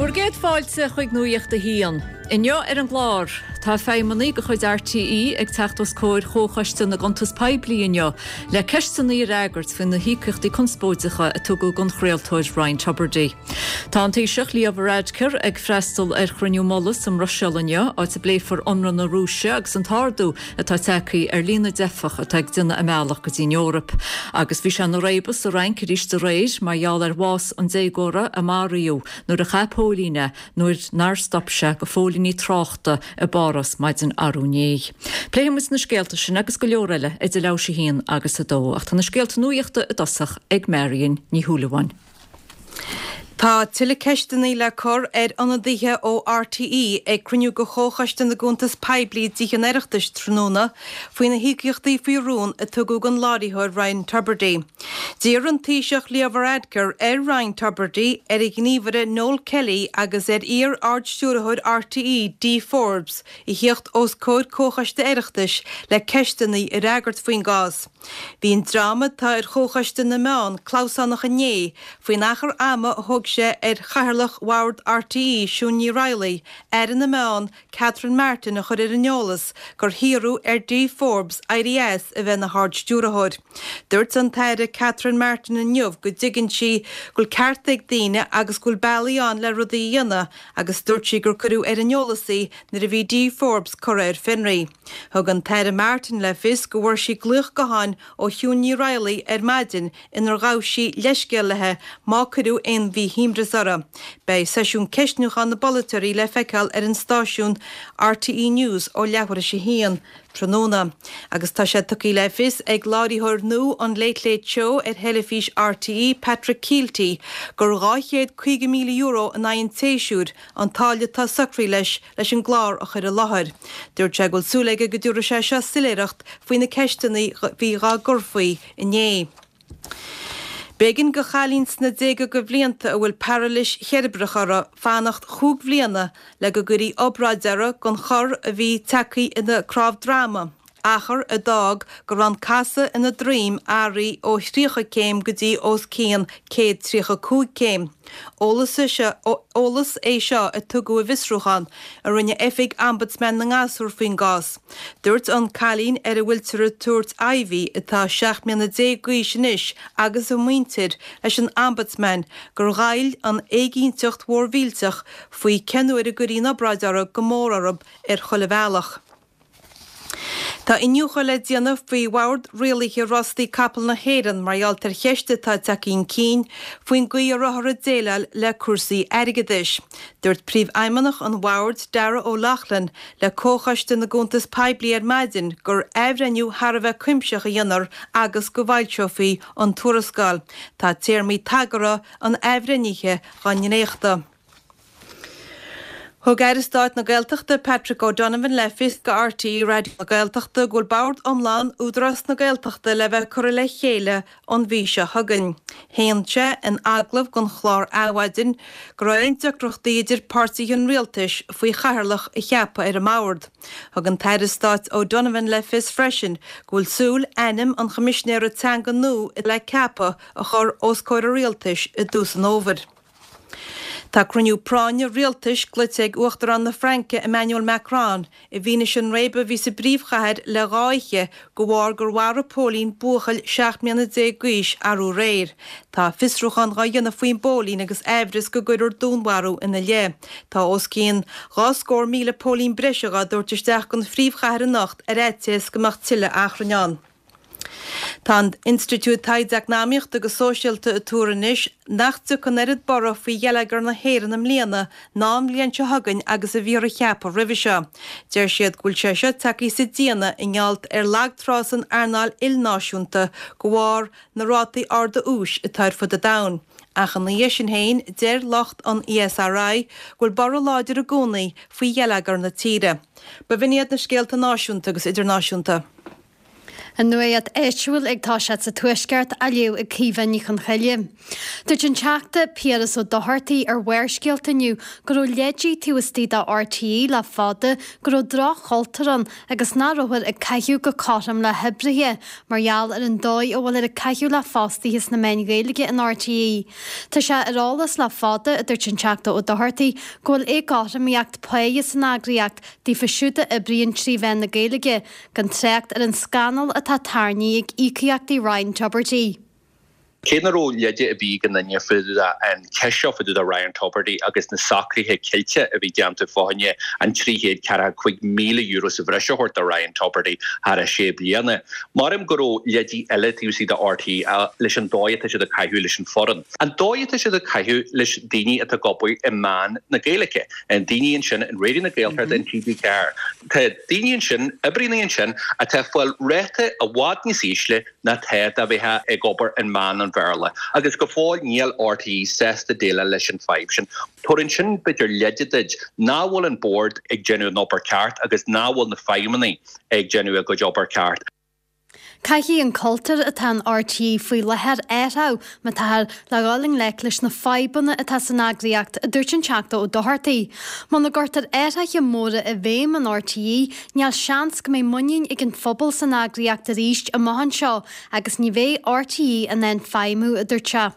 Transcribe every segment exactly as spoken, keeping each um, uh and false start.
Bhur gcéad fáilte chuig Nuacht a hAon. Inniu ar an gclár, tá feidhmeannaigh de chuid RTÉ ag teacht os comhair Chomhchoiste na gCuntas Poiblí inniu le ceisteanna a fhreagairt faoi na híocaíochtaí conspóideacha a tugadh don chraoltóir Ryan Tubridy. Tá an Taoiseach Leo Varadkar ag freastal ar chruinniú mullaigh sa mBruiséil inniu áit a bpléifear ionradh na Rúise agus an t-ardú atá tagtha ar líon na dteifeach atá ag déanamh a mbealach go dtí an Eoraip. Agus bhí sé ina réabadh sa Fhrainc arís aréir mar gheall ar bhás an déagóra a maraíodh nuair a chaith póilín é nuair nár stop sé do phóilíní tráchta i bPáras maidin arú inné. Pléifimid na scéalta sin agus go leor eile idir leathuair théis a haon agus a dó, ach tá na scéalta nuachta i dtosach ag Marion Ní Shúilleabháin. Tá tuilleadh ceisteanna le cur ar ionadaithe ó RTÉ ag cruinniú de Chomhchoiste na gCuntas Poiblí i dTithe an Oireachtais tráthnóna faoi na híocaíochtaí faoi rún a tugadh don láithreoir Ryan Tubridy. D'iarr an Taoiseach Leo Varadkar ar Ryan Tubridy ar a ghníomhaire Noel Kelly agus ar iar-ardstiúrthóir RTÉ Dee Forbes a theacht os comhair Comhchoiste Oireachtais le ceisteanna a fhreagairt faoin gcás. Bhí an dream atá ar Chomhchoiste na Meán clamhsánach inné faoin achar ama a thóg sé ar chathaoirleach Bhord RTÉ Siún Ní Raghallaigh, Aire na Meán, Catherine Martin a chur ar an eolas gur hiarradh ar Dee Forbes éirí as a bheith ina hardstiúrthóir. Dúirt an tAire Catherine Martin inniu go dtuigeann sí go bhfuil cearta ag daoine agus go bhfuil bealaí ann le rudaí a dhéanamh agus dúirt sí gur cuireadh ar an eolas í nuair a bhí Dee Forbes curtha ar fionraí. Thug an tAire Martin le fios go bhfuair sí glaoch gutháin ó Shiún Ní Raghallaigh ar maidin inar ghabh sí leithscéal léi má cuireadh aon mhíshuaimhneas uirthi. Beidh seisiún ceistniúcháin na bpolaiteoirí le feiceáil ar an stáisiún RTÉ News ó leathuair théis a haon tráthnóna. Agus tá sé tugtha le fios ag láithreoir nua an Late Late Show ar theilifís RTÉ Patrick Kielty gur dhá chéad caoga míle euro in aghaidh an tséasúir an táille atá socraithe leis leis an gclár a chur i láthair. Dúirt sé go bhfuil súil aige go dtabharfaidh sé seo soiléireacht faoi na ceisteanna a bhí dhá gcur faoi inné. B'éigean do chailín sna déaga de bhlianta a bhfuil pairilis cheirbreach uirthi fanacht chúig bhliana le go gcuirfí obráid uirthi don chor a bhí tagtha ina cnámh droma, achar a d'fhág go raibh an casadh ina droim athraithe ó thríocha céim go dtí os cionn céad tríocha cúig céim. Eolas é seo a tugadh i bhfiosrúchán a rinne Oifig Ombudsman na nGasúr faoin gcás. Dúirt an cailín ar a bhfuiltear ag tabhairt Ivy, atá seacht mbliana déag d'aois anois, agus a muintir leis an Ombudsman gur ghoill an éiginnteacht mhór mhillteach faoi cén uair a gcuirfí an obráid uirthi go mór orthu ar chuile bhealach. Tá iniúchadh le déanamh faoi Bhord Rialaithe Rástaí Capall na hÉireann mar gheall ar cheist atá tagtha chun cinn faoin gcaoi a rabhthar ag déileáil le cúrsaí airgeadais. Dúirt Príomhfheidhmeannach an Bhoird, Darragh O'Loughlin, le Comhchoiste na gCuntas Poiblí ar maidin gur athbhreithniú thar a bheith cuimsitheach a dhéanfar agus go bhfoilseofaí an tuarascáil. Tá téarmaí tagartha an athbhreithnithe dhá ndréachtadh. Thug Aire Stáit na Gaeltachta Patrick O'Donovan le fios do RTÉ Raidió na Gaeltachta go bhfuil bord iomlán Údarás na Gaeltachta le bheith curtha le chéile an mhí seo chugainn. Shéan sé in agallamh don chlár Adhmhaidin go raibh aon deacrachtaí idir páirtithe an rialtais faoi chathaoirleach a cheapadh ar an mbord. Thug an tAire Stáit O'Donovan le fios freisin go bhfuil súil ainm an Choimisinéara Teanga nua le ceapadh a chur os comhair an rialtais i dtús an fhómhair. Tá cruinniú práinne rialtais glaoite ag Uachtarán na Fraince Emmanuel Macron i bhfianaise an réabadh a bhí sa bpríomhchathair le dhá oíche de bharr gur mharaigh póilín buachaill seacht mbliana déag d'aois arú aréir. Tá fiosrúchán dhá dhéanamh faoin bpóilín agus aimhreas go gcuirfear dúnmharú ina leith. Tá os cionn dhá scór míle póilín breise dhá dtabhairt isteach don phríomhchathair anocht ar fhaitíos go mbeadh tuilleadh achrainn ann. Tá an Institiúid Taighde Eacnamaíochta agus Sóisialta ag tuar anois nach dtiocfaidh an oiread borradh faoi gheilleagar na hÉireann i mbliana ná an bhliain seo chugainn agus a bhíothar a cheapadh roimhe seo. Deir siad go bhfuil sé seo tagtha sa déanamh i ngeall ar lagtrá san earnáil ilnáisiúnta de bharr na rátaí arda úis atá ar fud an domhain. Ach ina dhiaidh sin féin, deir lucht an ESRI go bhfuil borradh láidir i gcónaí faoi gheilleagar na tíre. B'in iad na scéalta náisiúnta agus idirnáisiúnta. An nuacht áitiúil ag toiseacht sa Tuaisceart á léamh ag Caoimhe Ní Chonchoille. Dúirt an Teachta Piaras Ó Dochartaigh ar Bharrscéalta inniu go raibh leidí taobh istigh de RTÉ le fada go raibh droch-chultúr ann agus nach rabhthar ag caitheamh go cothrom le hoibrithe mar gheall ar an dóigh a bhfuiltear ag caitheamh le fostaithe sna meáin Ghaeilge in RTÉ. Tá sé ar eolas le fada, a dúirt an Teachta Ó Dochartaigh, go bhfuil éagothromaíocht páighe san eagraíocht daofa siúd a oibríonn trí mheán na Gaeilge, gan trácht ar an scannal atá tarraingthe ag íocaíochtaí Ryan Tubridy. Cé nach raibh leide ar bith ag aon duine fá dtaobh den cheist seo fá dtaobh de Ryan Tubridy agus na socruithe ceilte a bhí déanta fá choinne an trí chéad ceathracha cúig míle euro sa bhreis a thabhairt do Ryan Tubridy thar a sé bliana. Maram go raibh leidí eile taobh istigh de RTÉ leis an dóigh atá siad ag caitheamh leis an foireann. An dóigh atá siad ag caitheamh leis daoine atá ag obair i meán na Gaeilge. An daoine ansin in Raidió na Gaeltachta in TG Ceathair. Tá daoine ansin, oibrithe ansin atá ag fáil ráta i bhfad níos ísle ná tá dá mbeifeá ag obair in meán an Bhéarla. Agus go fóill níl RTÉ sásta déileáil leis an fadhb sin. Tabharann sin b'fhéidir leide duit nach bhfuil an bord ag déanamh an obair ceart agus nach bhfuil na feidhmeannaigh ag déanamh a gcuid obair ceart. Caithfidh an cultúr atá in RTÉ faoi láthair athrú má táthar le dhul i ngleic leis na fadhbanna atá san eagraíocht, a dúirt an Teachta Ó Dochartaigh. Muna gcuirtear athruithe móra i bhfeidhm in RTÉ, níl seans go mbeidh muinín ag an phobal san eagraíocht arís amach anseo agus ní bheidh RTÉ in ann feidhmiú, a dúirt sé.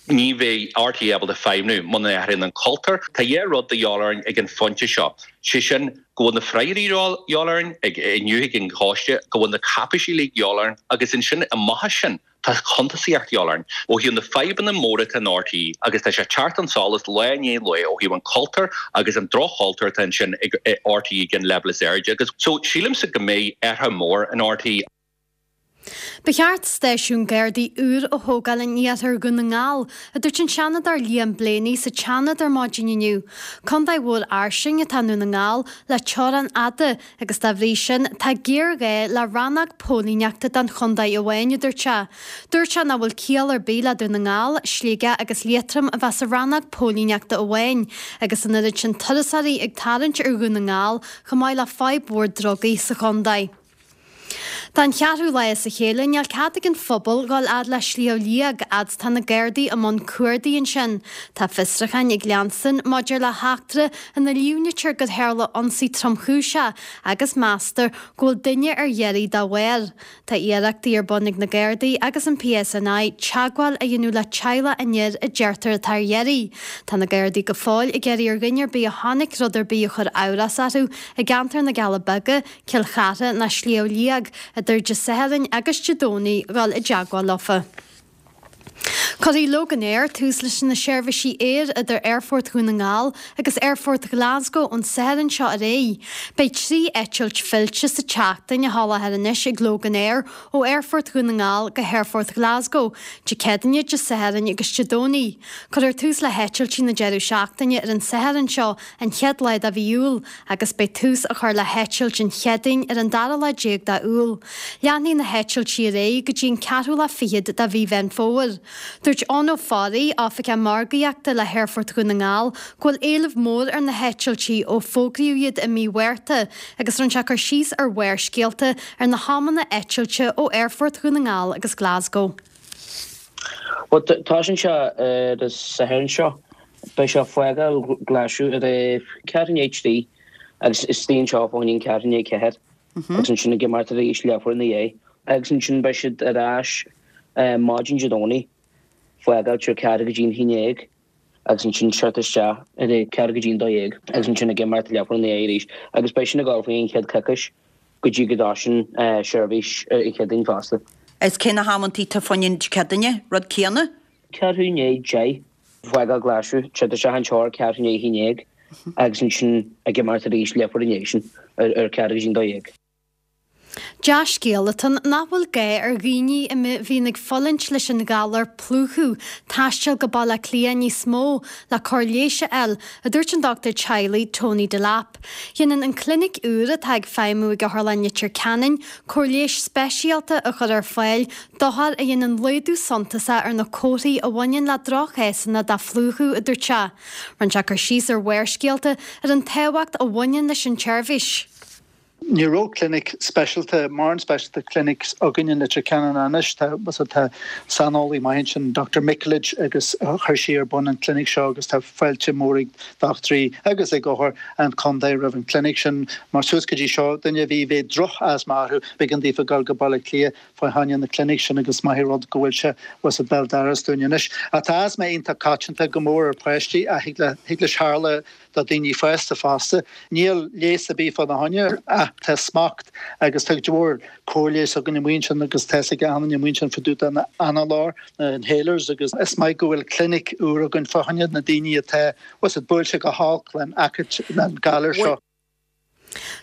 Ní bheidh RTÉ ábalta feidhmiú muna n-athraíonn an cultúr. Tá dhá rud de dhíobháil orainn ag an phointe seo. Sé sin go bhfuil na freagraí de dhíobháil orainn ag inniu ag an choiste, go bhfuil na cáipéisí uilig de dhíobháil orainn agus ansin amach as sin tá cuntasaíocht de dhíobháil orainn ó thaobh na fadhbanna móra atá in RTÉ agus tá sé ag teacht chun solais lá i ndiaidh lae ó thaobh an cultúr agus an droch-chultúr atá ansin ag RTÉ ag an leibhéal is airde agus so sílimse go mbeidh athrú mór in RTÉ. Ba cheart stáisiún Gardaí úr a thógáil in iarthar Dhún na nGall, a dúirt an Seanadóir Liam Blaney sa tSeanad ar maidin inniu. Contae mhór fhairsing atá i nDún na nGall le teorainn fhada agus dá bhrí sin tá géarghá le rannóg póilíneachta don chontae amháin, a dúirt sé. Dúirt sé nach bhfuil ciall ar bith le Dún na nGall, Sligeach agus Liatroim a bheith sa rannóg póilíneachta amháin agus an oiread sin turasóirí ag tarraingt ar Dhún na nGall chomh maith le fadhb mhór drugaí sa chontae. Don cheathrú lá as a chéile níl cead ag an phobal dhul fhad le Sliabh Liag fhad is tá na Gardaí i mbun cuardaigh ansin. Tá fiosrúcháin ag leanstan maidir le heachtra ina líomhnaítear gur tharla ionsaí tromchúiseach agus meastar go bhfuil duine ar iarraidh dá bharr. Tá iarrachtaí ar bun ag na Gardaí agus an PSNI teagmháil a dhéanamh le teaghlach an fhir a deirtear atá ar iarraidh. Tá na Gardaí go fóill ag iarraidh ar dhuine ar bith a chonaic rud ar bith a chuir amhras orthu i gceantar na gCealla Beaga, Cill Chartha ná Sliabh Liag idir Dé Sathairn agus Dé Domhnaigh dhul i dteagmháil leofa. Cuirfidh Loganair tús leis na seirbhísí aeir idir Aerfort Dhún na nGall agus Aerfort Glasgow ón Satharn seo ar aghaidh. Beidh trí eitilt fillte sa tseachtain á sholáthar anois ag Loganair ó Aerfort Dhún na nGall go hAerfort Glasgow, Dé Céadaoine, Dé Sathairn agus Dé Domhnaigh. Cuirfear tús le heitiltí na deireadh seachtaine ar an Satharn seo, an chéad lá de mhí Iúil, agus beidh tús á chur le heitilt an Chéadaoin ar an dara lá déag de Iúil. Leanfaidh na heitiltí ar aghaidh go dtí an ceathrú lá fichead de mhí Mheán Fómhair. Dúirt Eoin Ó Fearraigh, Oifigeach Margaíochta le hAerfort Dhún na nGall, go bhfuil éileamh mór ar na heitiltí ó fógraíodh iad i mí Mhárta agus rinne sé cur síos ar Bharrscéalta ar na hamanna eitilte ó Aerfort Dhún na nGall agus Glasgow. Bhuel, tosaíonn sé ar an Satharn seo. Beidh sé ag fágáil Ghlaschú ar a ceathrú i ndiaidh a trí agus istigh anseo fá choinne an ceathrú i ndiaidh a ceathair agus ansin ag imeacht arís leathuair ina dhiaidh agus ansin beidh siad ar ais maidin Dé Domhnaigh, fágáil ar ceathrú go dtí an haon déag agus ansin teacht isteach ar a ceathrú go dtí an dó dhéag agus ansin ag imeacht leathuair ina dhiaidh arís agus beidh sin ag dul faoi an chéad coicís go dtí go dtosaíonn seirbhís ar an Chéadaoin fosta. Is cé na hamantaí atá fá choinne an Chéadaoine, rud céanna? Ceathrú i ndiaidh deich, fágáil Glaschú, teacht isteach anseo ar ceathrú i ndiaidh a haon déag agus ansin ag imeacht arís leathuair ina dhiaidh sin ar ceathrú go dtí an dó dhéag. Dea-scéal atá ann nach bhfuil gá ar dhaoine a bhíonn ag fulaingt leis an ghalar plúchadh taisteal go Baile Átha Cliath níos mó le cóir leighis a fháil, a dúirt an dochtúir teaghlaigh Tony Delap. Déanann an clinic úr atá ag feidhmiú ag Otharlann Leitir Ceanainn cóir leighis speisialta a chur ar fáil d'othair a dhéanann laghdú suntasach ar na comharthaí a bhaineann le droch-chásanna de phlúchadh, a dúirt sé. Rinne sé cur síos ar Bharrscéalta ar an tábhacht a bhaineann leis an tseirbhís. Ní raibh clinic speisialta mórán speisialta clinics againn in Leitir Ceanainn anois tá tá saineolaí maith sin Dr. Mikulic agus chuir sí ar bun an clinic seo agus tá fáilte mór ag dochtúirí agus ag othair an chontae roimh an clinic sin mar suas go dtí seo duine bhí bheith droch asma orthu b'éigean daofa dul go Baile Átha Cliath fá choinne na clinic sin agus maith rud go bhfuil sé was a béal dorais dúinn anois. Tá asma iontach coitianta go mór ar pháistí a thig le thig leis tarlú do daoine fásta fosta. Níl leigheas ar bith fána choinne ach tá smacht agus tá mhór comhairle againn amuigh ansin agus tá ag an amuigh ansin fá dtaobh den análóir na inhalers agus is maith go bhfuil clinic úr againn fá choinne na daoine atá was it buailte go holc len an galar seo.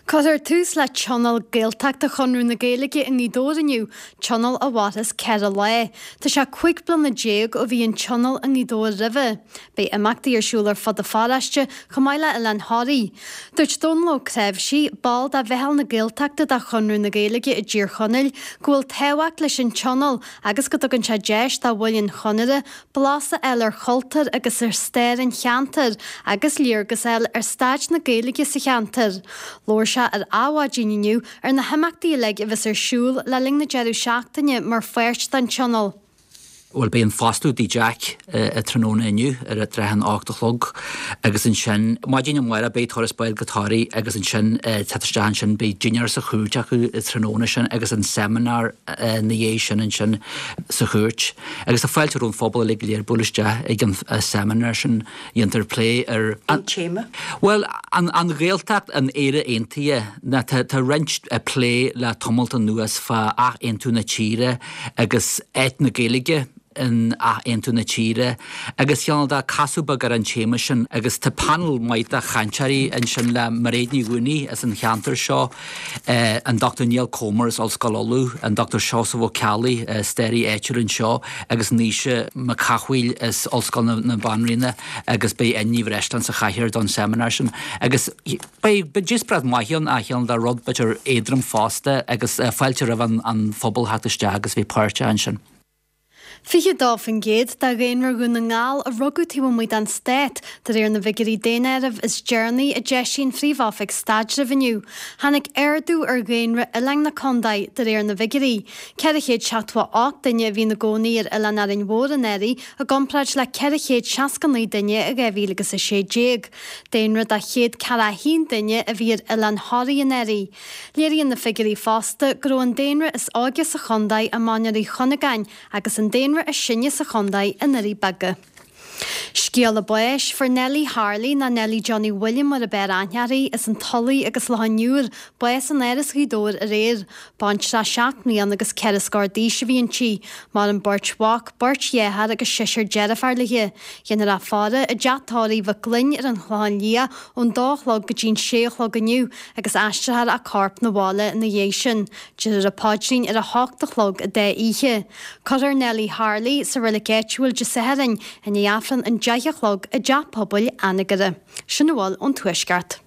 Cuirfear tús le Tionól Gaeltachta Chonradh na Gaeilge i nGaoth Dobhair inniu, tionól a mhairfeas ceithre lá. Tá sé cúig bliana déag ó bhí an tionól i nGaoth Dobhair roimhe. Beidh imeachtaí ar siúl ar fud an pharóiste chomh maith le Oileán Thoraí. Dúirt Dónal Ó Creimhsí, ball de Mheitheal na Gaeltachta de Chonradh na Gaeilge i dTír Chonaill, go bhfuil tábhacht leis an tionól agus go dtugann sé deis do bhaill an Chonartha blas a fháil ar chultúr agus ar stair an cheantair agus léargas a fháil ar staid na Gaeilge sa cheantar. Labhair sé ar Adhmhaidin inniu ar na himeachtaí uilig a bheas ar siúl le linn na deireadh seachtaine mar pháirt den tionól. Bhuel beidh an foscladh i dTigh Jack uh, tráthnóna inniu ar a tráth an ocht a chlog agus ansin maidin amárach beidh turas báid go Toraigh agus ansin teacht isteach ansin beidh dinnéar sa chúirt acu tráthnóna sin agus an seimineár na dhiaidh sin ansin sa chúirt. Agus tá fáilte roimh an phobal uilig go léir bualadh isteach ag an seimineár sin dhéantar plé ar an téama? Well an, an Ghaeltacht in Éire Aontaithe na tá, tá roinnt plé le tamalt anuas fá athaontú na tíre agus áit na Gaeilge in athaontú na tíre agus cineál de casadh beag ar an téama sin agus tá panel maith de chainteoirí ansin le Mairéad Ní Dhúnaí as an cheantar seo eh, an Dr Neil Comer as Ollscoil Uladh, an Dr Seosamh Ó Ceallaigh eh, staraí áitiúil anseo agus Naoise Mac Cathmhaoil as Ollscoil na, na Banríona agus beidh Áine Ní Bhreisleáin sa chathaoir don seimineár sin agus beidh díospóireacht mhaith ann a chineál de rud b'fhéidir éadrom fosta agus uh, fáilte roimh an, an phobal theacht isteach agus bhí páirteach ansin. Fiche dó faoin gcéad de dhaonra Dhún na nGall a rugadh taobh amuigh den stát, de réir na bhfigiúirí daonáirimh is deireanaí a d'eisigh an Phríomh-Oifig Staidrimh inniu. Tháinig ardú ar dhaonra oileáin na contae de réir na bhfigiúirí. Ceithre chéad seachtó ocht duine a bhí ina gcónaí ar oileán Árainn Mhór anuraidh i gcomparáid le ceithre chéad seasca naoi duine i dhá mhíle agus a sé déag. Daonra de chéad ceathracha a haon duine a bhí ar oileán Thoraí anuraidh. Léiríonn na figiúirí fosta go raibh an daonra is óige sa chontae i Mainéar Uí Chuinneagáin agus an daonra is sine sa chontae i nDoirí Beaga. Scéala báis fuair Nellie Harley ná Nellie Johnny William mar a b'fhearr aithne uirthi as an Tulaigh agus Loch an Iúir, bás in Áras Ghaoth Dobhair aréir. Baintreach seacht mbliana agus ceithre scór d'aois a bhí inti, maireann beirt mhac, beirt dheartháir agus seisear deirfiúr léi. Déanfar í a fhaire i dteach tórraimh Mhic Gloinn ar an Chlochán Liath ón dó a chlog go dtí an sé a chlog inniu agus aistreofar a corp 'na bhaile ina dhiaidh sin. Déarfar an paidrín ar a hocht a chlog i dá oíche. Cuirfear Nellie Harley sa reilig áitiúil Dé Sathairn i ndiaidh Aifreann an deich a chlog i dteach pobail Anagaire. Sin a bhfuil ón Tuaisceart.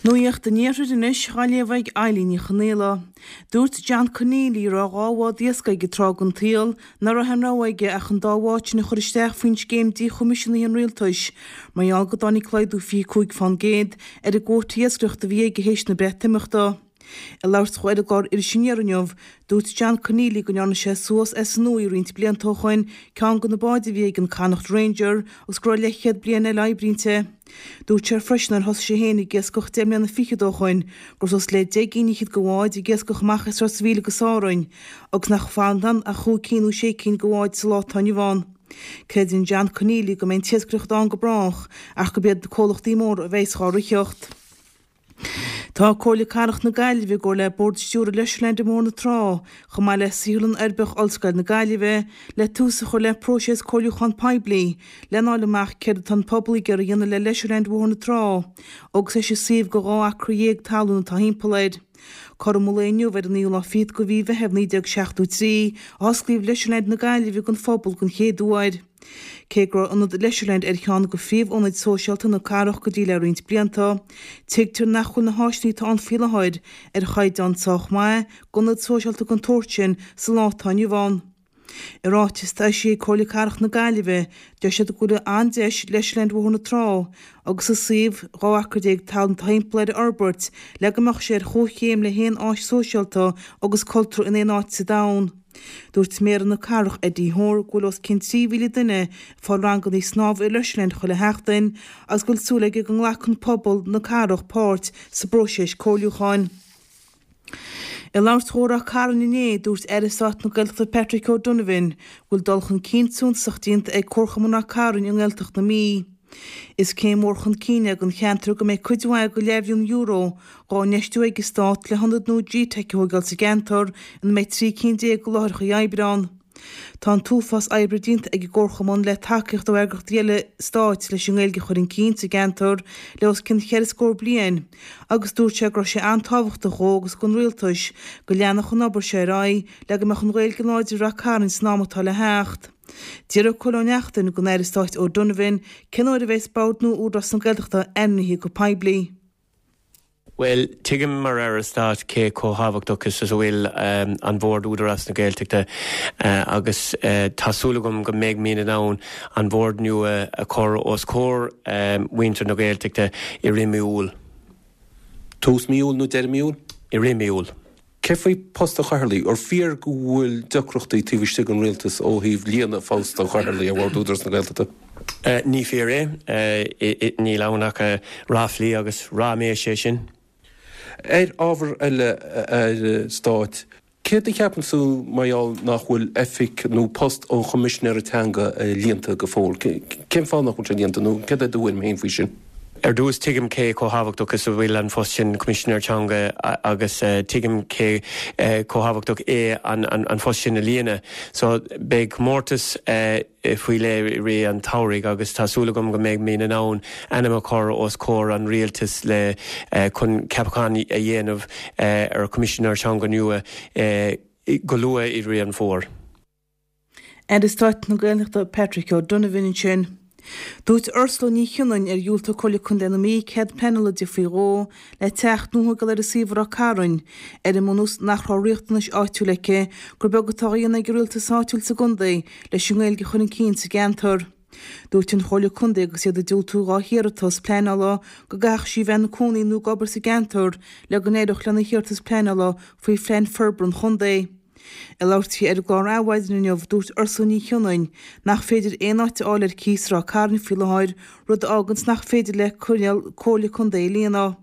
Nuacht an Iarthair anois á léamh ag Eilín Ní Chonaola. Dúirt John Conneely a raibh dhá bhád iascaigh ag tráth den tsaol nach raibh aon rogha aige ach an dá bhád sin a chur isteach faoin scéim díchoimisiúnaithe an rialtais, mar gheall go dtáinig laghdú fiche cúig fán gcéad ar an gcuóta iascaireachta a bhí aige théis na Breatimeachta. Ag labhairt dó ar an gclár Iris Aniar inniu, dúirt John Conneely go ndearna sé suas as an uaigh roinnt blianta ó shoin ceann de na báid a bhí ag an Connacht Ranger agus go raibh leathchéad bliain eile oibre inti. Dúirt sé freisin nuair thosaigh sé féin ag iascach deich mbliana fichead ó shoin go raibh suas le deich gcinn fhichead de bháid ag iascach amach as Ros a' Mhíl agus Árainn agus nach bhfanann ach chúig cinn nó sé cinn de bháid sa lá atá inniu ann. Creideann John Conneely go mbeidh an t-iascaireacht ann go brách ach gurb iad na comhlachtaí móra a bheas dhá ritheacht. Tá Comhairle Cathrach na Gaillimhe i gcomhar le Bord Stiúrtha Leisureland i mBóthar na Trá, chomh maith le Saotharlann Uirbeach Ollscoil na Gaillimhe, le tús a chur le próiseas comhairliúcháin poiblí lena fháil amach céard atá an pobal ag iarraidh a dhéanamh le Leisureland Bhóthar na Trá, agus é sa suíomh de dhá acra dhéag talún atá thimpeall air. Cothrom an lae inniu ar an naoú lá fichead de mhí Mheithimh naoi déag seachtó trí a osclaíodh Leisureland na Gaillimhe don phobal den chéad uair. Cé go raibh ionad Leisureland ar cheann de phríomhionaid sóisialta na cathrach go dtí le roinnt blianta, tuigtear nach bhfuil na háiseanna atá ann faoi láthair ar chaighdeán sách maith d'ionad sóisialta den tsórt sin sa lá atá inniu ann. I ráiteas atá eisithe ag Comhairle Cathrach na Gaillimhe, deir siad go bhfuil an-deis Leisureland Bhóthar na Trá agus an suíomh dhá acra déag talún timpeall air a fhorbairt le go mbeadh sé ar chomhchéim le haon áis sóisialta agus cultúrtha in aon áit sa domhan. Dúirt Méara na Cathrach, Eddie Hoare, go bhfuil os cionn trí mhíle duine ag fáil ranganna snámha i Leisureland chuile sheachtain agus go bhfuil súil aige go nglacann pobal na cathrach páirt sa bpróiseas comhairliúcháin. Ag labhairt dhó i Ráth Cairn inné, dúirt Aire Stáit na Gaeltachta Patrick O'Donovan go bhfuil dul chun cinn suntasach déanta ag Comharchumann Ráth Cairn i nGaeltacht na Mí. Is céim mhór chun cinn é don cheantar go mbeidh cuid mhaith de leathbhilliún euro dhá infheistiú ag an Stát le hionad nua G-Teic a thógáil sa gceantar ina mbeidh trí cinn déag de láithreacha oibre ann. Tá an t-uafás oibre déanta ag an gComharchumann le tacaíocht ó eagraíochtaí eile stáit leis an nGaeilge a chur chun cinn sa gceantar le os cionn cheithre scór bliain agus dúirt sé go raibh sé an-tábhachtach dhó agus don Rialtas go leanfadh an obair seo ar aghaidh le go mbeadh an Ghaeilge láidir i Rath Cairn san am atá le theacht. D'fhiafraigh Cóil Ó Neachtain den Aire Stáit O'Donovan cén uair a bheas Bord nua Údarás na Gaeltachta ainmnithe go poiblí. Bhuel, tuigim mar Aire Stáit cé chomh thábhachtach is a bhfuil an Bord Údarás na Gaeltachta agus tá súil agam go mbeidh muid in ann an Bord nua a chur os comhair mhuintir na Gaeltachta i rith mí Iúil. Tús mí Iúil nó deireadh mí Iúil? I rith mí Iúil. Cé faoi post an Chathaoirligh? Ar fíor go bhfuil deacrachtaí taobh istigh den Rialtas ó thaobh líonadh phost an Chathaoirligh ar Bhord Údarás na Gaeltachta? Ní fíor é. Níl ann ach ráflaí agus ráiméis é sin. Ar ábhar eile, a Aire Stáit, céard a cheapann tú mar gheall nach bhfuil oifig nó post an Choimisinéara Teanga líonta go fóill? Cén fáth nach bhfuil sé líonta nó céard é do thuairim féin faoi sin? Ar dtús, tuigim cé chomh thábhachtach is a bhfuil an phost sin Coimisinéir Teanga agus tuigim cé chomh thábhachtach é an phost sin a líonadh. So beidh comórtas faoi leith i rith an tsamhraidh agus tá súil agam go mbeidh muid in ann ainm a chur os comhair an Rialtais le chun ceapachán a dhéanamh ar Choimisinéir Teanga nua go luath i rith an fómhair. Aire Stáit na Gaeltachta Patrick O'Donovan ansin. Dúirt Ursula Ní Chionnain ar dhiúltaigh Comhairle Contae na Mí cead pleanála di faoi dhó le teach nua a thógáil ar a suíomh i Ráth Cairn, ar an mbunús nach raibh riachtanais áitiúil aici, gur beag atá á dhéanamh ag an rialtas áitiúil sa gcontae leis an nGaeilge a chur chun cinn sa gceantar. Dúirt an Chomhairle Contae agus iad ag diúltú dhá hiarratas pleanála go gcaithfeadh sí bheith ina cónaí nó ag obair sa gceantar le go n-éireodh lena hiarratas pleanála faoi Phlean Forbartha an Chontae. Ag labhairt di ar an gclár Adhmhaidin inniu, dúirt Ursula Ní Chionnain nach féidir aon áit a fháil ar cíos i Ráth Cairn faoi láthair, rud a fháganns nach féidir léi coinníoll Comhairle Contae a líonadh.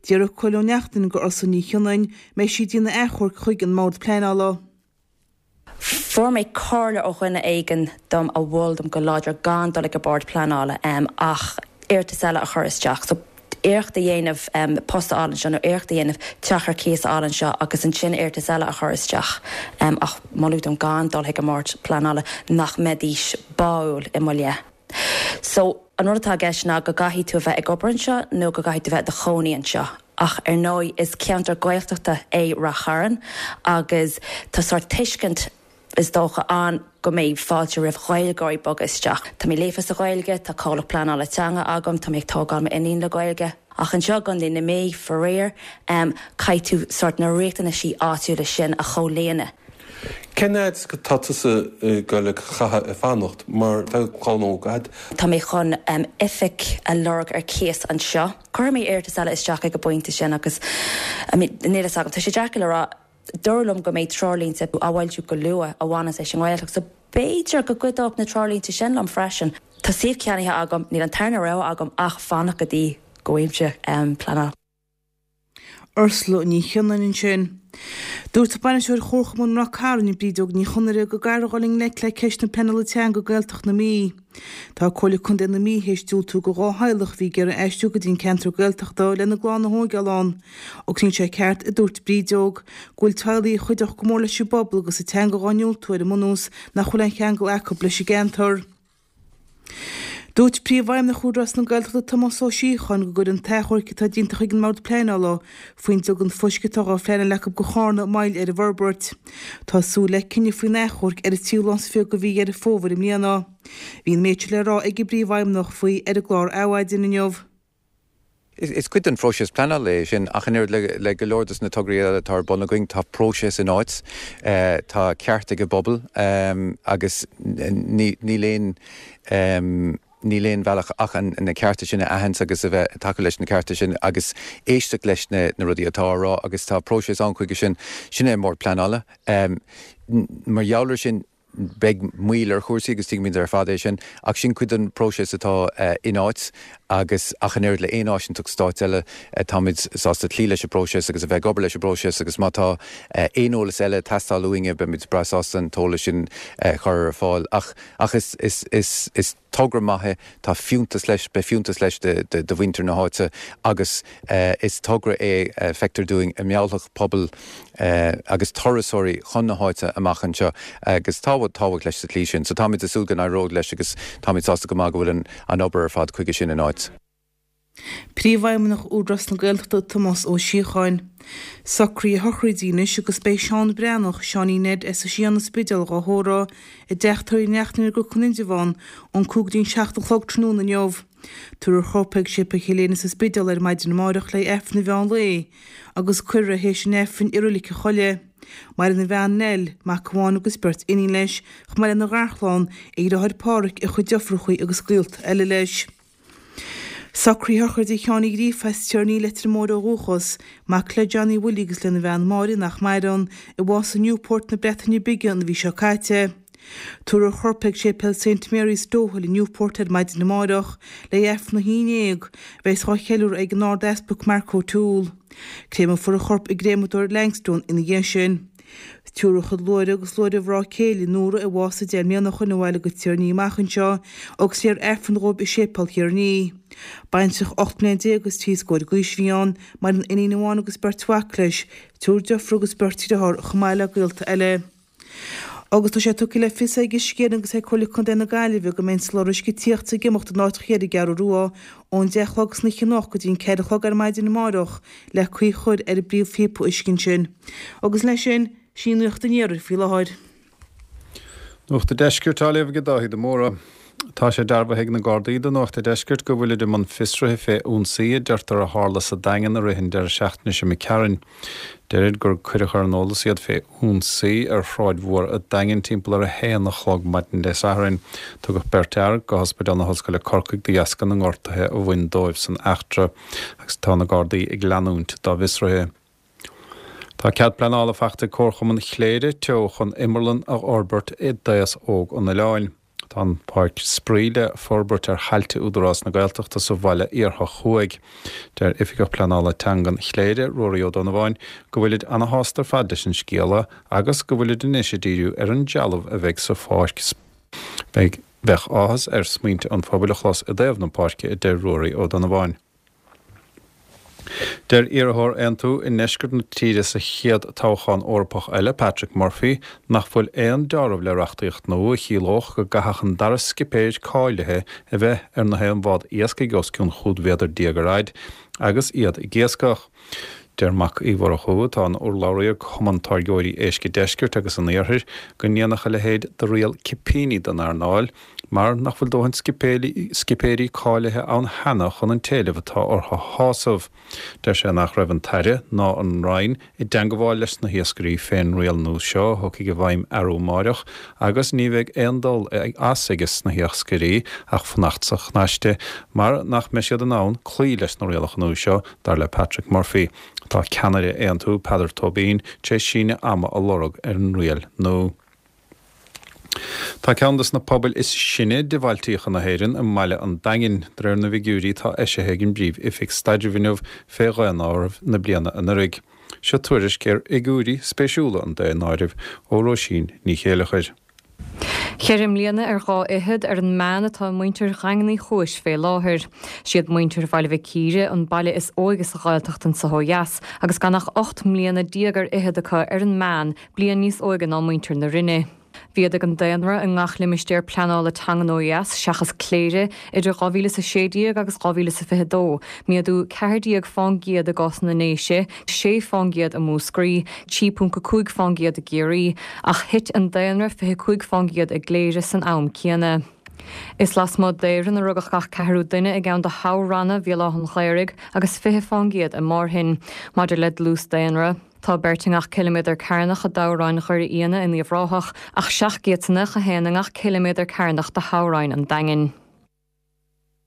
D'fhiafraigh Cóil Ó Neachtain de Ursula Ní Chionnain an mbeidh sí ag déanamh achomhairc chuig an mBord Pleanála. Fuair mé comhairle ó dhuine éigin dom a mhol dom go láidir gan dul ag an bord pleanála ach iarratas eile a chur isteach. So iarracht a dhéanamh post a fháil anseo nó iarracht a dhéanamh teach ar cíos a fháil anseo agus ansin iarratas eile a chur isteach. Ach moladh dom gan dul chuig an mbord pleanála nach mbeidís báúil i mo leith. So an rud atá i gceist ná go gcaithfidh tú a bheith ag obair anseo nó go gcaithfidh tú bheith i do chónaí anseo. Ach ar ndóigh is ceantar Gaeltachta é Rath Chairn agus tá sórt tuiscint is dócha ann go mbeidh fáilte roimh Ghaeilgeoirí bogadh isteach. Tá mé líofa sa Ghaeilge, tá comhlacht pleanála teanga agam, tá mé ag tógáil m'iníon le Gaeilge. Ach anseo i gContae na Mí, faraor, caithfidh tú sórt na riachtanaisí áitiúla sin a chomhlíonadh. Cén fhad is atá tusa ag goil a chaitheamh ag fanacht mar tá clann óg agat? Tá mé chun oifig a lorg ar cíos anseo. Cuirfidh mé iarratas eile isteach ag an bpointe sin agus, I mean, níl a fhios agam, tá sé deacair le rá. Dúradh liom go mbeidh treoirlínte á bhfoilsiú go luath a bhaineanns leis an nGaeltacht so b'fhéidir go gcuideodh na treoirlínte sin liom freisin. Tá suíomh ceannaithe agam, níl an tarna rogha agam ach fanacht go dtí go bhfaighimse pleanáil. Ursula Ní Chionnain ansin. Dúirt Bainisteoir Chomharchumann Ráth Cairn, Brídeog Ní Chonaire, go gcaithfear dhul i ngleic le ceist na pleanála teanga i Gaeltacht na Mí. Tá Comhairle Contae na Mí théis diúltú do dhá theaghlach a bhí ag iarraidh aistriú go dtí an ceantar Gaeltachta lena gclann a thóigeáil ann. Agus níl sé ceart, a dúirt Brídeog, go bhfuil teaghlaigh a chuideodh go mór leis an bpobal agus an teanga dhá ndiúltú ar an mbunús nach bhfuil aon cheangal acu leis an gceantar. Dúirt Príomhfheidhmeannach Údarás na Gaeltachta Tomás Ó Síocháin go gcuireann an t-achomharc atá déanta chuig an mBord Pleanála faoin dliogann fuisce atá dhá phleanáil acu do Chárna moill ar an bhforbairt. Tá súil le cinneadh faoin achomharc ar an tríú lá is fiche de mhí Dheireadh Fómhair i mbliana. Bhí an méid seo le rá ag an bPríomhfheidhmeannach faoi ar an gclár Adhmhaidin inniu. Is cuid den phróiseas pleanála é sin, ach an oiread le le go leor dos na tograí eile atá ar bun againn, tá próiseas in áit, tá ceart ag an bpobal agus níl aon níl aon bhealach ach na cearta sin a aithint agus a bheith ag tacú leis na cearta sin agus éisteacht leis na rudaí atá á rá agus tá próiseas ann chuige sin. Sin é an Bord Pleanála. Mar gheall air sin, beidh moill ar chúrsaí agus tuigimid ar fad é sin, ach sin cuid den phróiseas atá in áit agus ach an oiread le aon áisinteacht stáit eile, táimid sásta cloí leis an bpróiseas agus a bheith ag obair leis an bpróiseas agus má tá aon eolas eile ag teastáil uainne, beimid breá sásta an t-eolas sin a chur ar fáil. Ach ach is is is is togra maith é, tá fiúntas leis, beidh fiúntas leis do mhuintir na háite agus is togra é, feictear dúinn, a mheallfadh pobal agus turasóirí chun na háite amach anseo agus tá tábhacht leis sa tslí sin. So táimid ag súil go n-éireoidh leis agus táimid sásta go maith go bhfuil an obair ar fad chuige sin in áit. Príomhfheidhmeannach Údarás na Gaeltachta Tomás Ó Síocháin. Socruithe sochraide anois agus beidh Seán Breathnach, Seáinín Ned as an Spidéal dhá thórramh i dTeach Tórraimh Uí Neachtain ar gCnoc an Indreabháin ón cúig go dtí an seacht a chlog tráthnóna inniu. Tabharfar a chorp ag Séipéal Chill Éinde sa Spidéal ar maidin amáireach le Aifreann an mheán lae agus cuirfear é théis an Aifrinn i Roilig an Choilligh. Maireann a bhean Nell, mac amháin agus beirt iníon leis, chomh maith lena gharchlann, a dheartháir Páraic, a chuid deirfiúrachaí agus gaolta eile leis. Socruithe sochraide Sheáin Uí Ghríofa as Tír an Fhia, Leitir Móir ó dhúchas, mac le Johnny Willie agus lena bhean Máire nach maireann, a bhásaigh i Newport na Breataine Bige an mhí seo caite. Tabharfar a chorp ag Séipéal Saint Mary's Dohill i Newport ar maidin amáireach le Aifreann a haon déag, a bheas á cheiliúradh ag an Ard-Easpag Mark O'Toole. Créamfar a chorp i gcréamadóir Langstone ina dhiaidh sin. Tabharfar a chuid luaithre agus luaithre a mhná céile, Nóra, a bhásaigh deich mbliana ó shoin abhaile go Tír an Fhia amach anseo agus léifear Aifreann dhóibh i Séipéal Thír an Fhia. Baintreach ocht mbliana déag agus trí scór d'aois a bhí ann, maireann iníon amháin agus beirt mhac leis, triúr deirfiúr agus beirt dearthár chomh maith le gaolta eile. Agus tá sé tugtha le fios ag Uisce Éireann agus ag Comhairle Contae na Gaillimhe go mbeidh an soláthar uisce tíochta ag imeacht in áiteacha ar an gCeathrú Rua ón deich a chlog san oíche anocht go dtí an ceithre a chlog ar maidin amáireach le caoi a chur ar an bpríomhphíopa uisce ansin. Agus leis sin, sin í Nuacht an Iarthair faoi láthair. Nuacht an Deiscirt á léamh ag Dáithí de Mórdha. Tá sé dearbhaithe ag na Gardaí do Nuacht an Deiscirt go bhfuilid i mbun fiosraithe fé ionsaí a deirtear a tharla sa Daingean i rith an deireadh seachtaine seo imigh tharainn. Deirid gur cuireadh ar an eolas iad fé ionsaí ar Shráid Mhór an Daingin timpeall ar a haon a chlog maidin Dé Sathairn. Tugadh beirt fhear go hOspidéal na hOllscoile Corcaigh de dheasca na ngortuithe a bhain dóibh san eachtra agus tá na Gardaí ag leanúint dá bhfiosruithe. Tá cead pleanála faighte ag Comharchumann Chléire Teo chun imearlann a fhorbairt i d'aos óg an oileáin. Tá an pháirc spraoi le forbairt ar thailte Údarás na Gaeltachta sa bhaile Iarthach Thuaidh. Deir Oifigeach Pleanála Teangan Chléire, Ruairí Ó Donnabháin, go bhfuilid ana-shásta ar fad leis an scéala agus go bhfuilid anois ag díriú ar an dealbh a bheidh sa pháirc. Beidh Bheadh áthas air smaointe an phobail a chlos i dtaobh na páirce, a deir Ruairí Ó Donnabháin. Deir iarrthóir Aontú i ndeisceart na tíre sa chéad toghchán Eorpach eile, Patrick Murphy, nach bhfuil aon deáramh le reachtaíocht nua a chiallódh go gcaithfeadh an dara scipéir cáilithe a bheith ar na haon bhád iascaigh os cionn chúig mhéadar déag ar fhaid agus iad ag iascach. Deir Mac Uí Mhurchú, atá ina urlabhraí ar Chumann Táirgeoirí Éisc an Deiscirt agus an Iarthair, go ndéanfadh a leithéid de riail cipíní den earnáil mar nach bhfuil dóthain scipéirí cáilithe ann cheana chun an t-éileamh atá orthu a shásamh. Deir sé nach raibh an tAire ná an Roinn i dteangabháil leis na hiascairí fén riail nua seo a thiocfaidh i bhfeidhm arú amáireach agus ní bheidh aon dul as aige sna hiascairí ach fanacht sa chnaiste mar nach mbeidh siad in ann cloí leis na rialacha nua seo, dar le Patrick Murphy. Tá ceannaire Aontú, Peadar Tóibín, tar éis síneadh ama a lorg ar an riail nua. Tá ceann de na pobail is sine de bhailtíocha na hÉireann i mbaile an Daingin, de réir na bhfigiúirí atá eisithe ag an bPríomh-Oifig Staidrimh inniu fé dhaonáireamh na bliana anuraidh. Seo tuairisc ar fhigiúirí spéisiúla an daonáirimh ó Róisín Ní Chéileachair. Ceithre mbliana ar dhá fhichead ar an meán atá muintir Dhaingean Uí Chúis fé láthair. Siad muintir Bhaile Mhic Íre an baile is óige sa Ghaeltacht anso ó dheas agus gan ach ocht mbliana déag ar fhichead acu ar an meán, bliain níos óige ná muintir na Rinne. Mhéadaigh an daonra i ngach limistéar pleanála teangan ó dheas, seachas Cléire, idir dhá mhíle is a sé déag agus dhá mhíle is a fiche dó, méadú ceathair déag fán gcéad i gcás na nDéise, sé fán gcéad i Múscraí, trí ponc a cúig fán gcéad i gCiarraí, ach thit an daonra fiche cúig fán gcéad i gCléire san am céanna. Is lasmuigh d'Éirinn a rugadh gach ceathrú duine i gceann de thoghranna Bhéal Átha an Ghaorthaidh agus fiche fán gcéad i Márthainn. Maidir le dlús daonra, tá beirt i ngach ciliméadar cearnach i dtoghroinn Dhoire Fhíona in Uíbh Ráthach ach seacht gcéad is nócha a haon i ngach ciliméadar cearnach de thoghroinn an Daingin.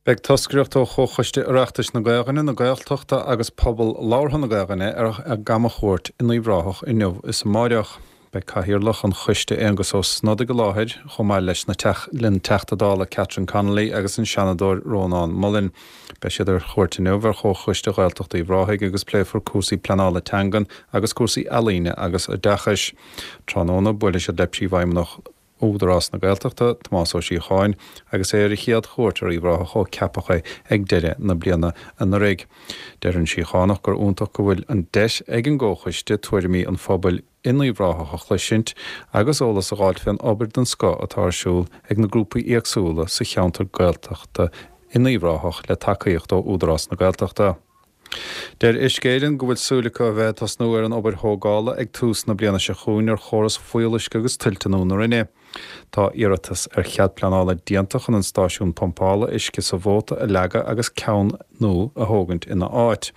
Beidh toscaireacht ó Chomhchoiste Oireachtais na Gaelainne, na Gaeltachta agus Pobal Labhartha na Gaelainne ar a gcamachuairt in Uíbh Ráthach inniu is amáireach. Beidh Cathaoirleach an choiste Aengus Ó Snodaigh i láthair, chomh maith leis na le an Teachta Dála Catherine Connolly agus an Seanadóir Rónán Mullen. Beidh siad ar chuairt inniu ar Chomhchoiste Ghaeltacht Uíbh Ráthaigh agus pléifear cúrsaí pleanála teangan agus cúrsaí ealaíne agus oideachais. Tráthnóna buailfidh siad le Príomhfheidhmeannach Údarás na Gaeltachta, Tomás Ó Síocháin, agus é ar a chéad chuairt ar Uíbh Ráthach ó ceapadh é ag deireadh na bliana anuraidh. Deir an Síochánach gur iontach go bhfuil an deis ag an gComhchoiste tuairimí an phobail in Uíbh Ráthach a chloisint agus eolas a fháilt fén obair den scoth atá ar siúl ag na grúpaí éagsúla sa cheantar Gaeltachta in Uíbh Ráthach le tacaíocht ó Údarás na Gaeltachta. Deir Uisce Éireann go bhfuil súil acu a bheith ag tosnú ar an obair thógála ag tús na bliana seo chugainn ar chóras fuíolluisce agus tuilte nua na Rinne. Tá iarratas ar chead pleanála déanta chun an stáisiún pumpála uisce sa Mhóta a leagadh agus ceann nua a thógaint ina áit,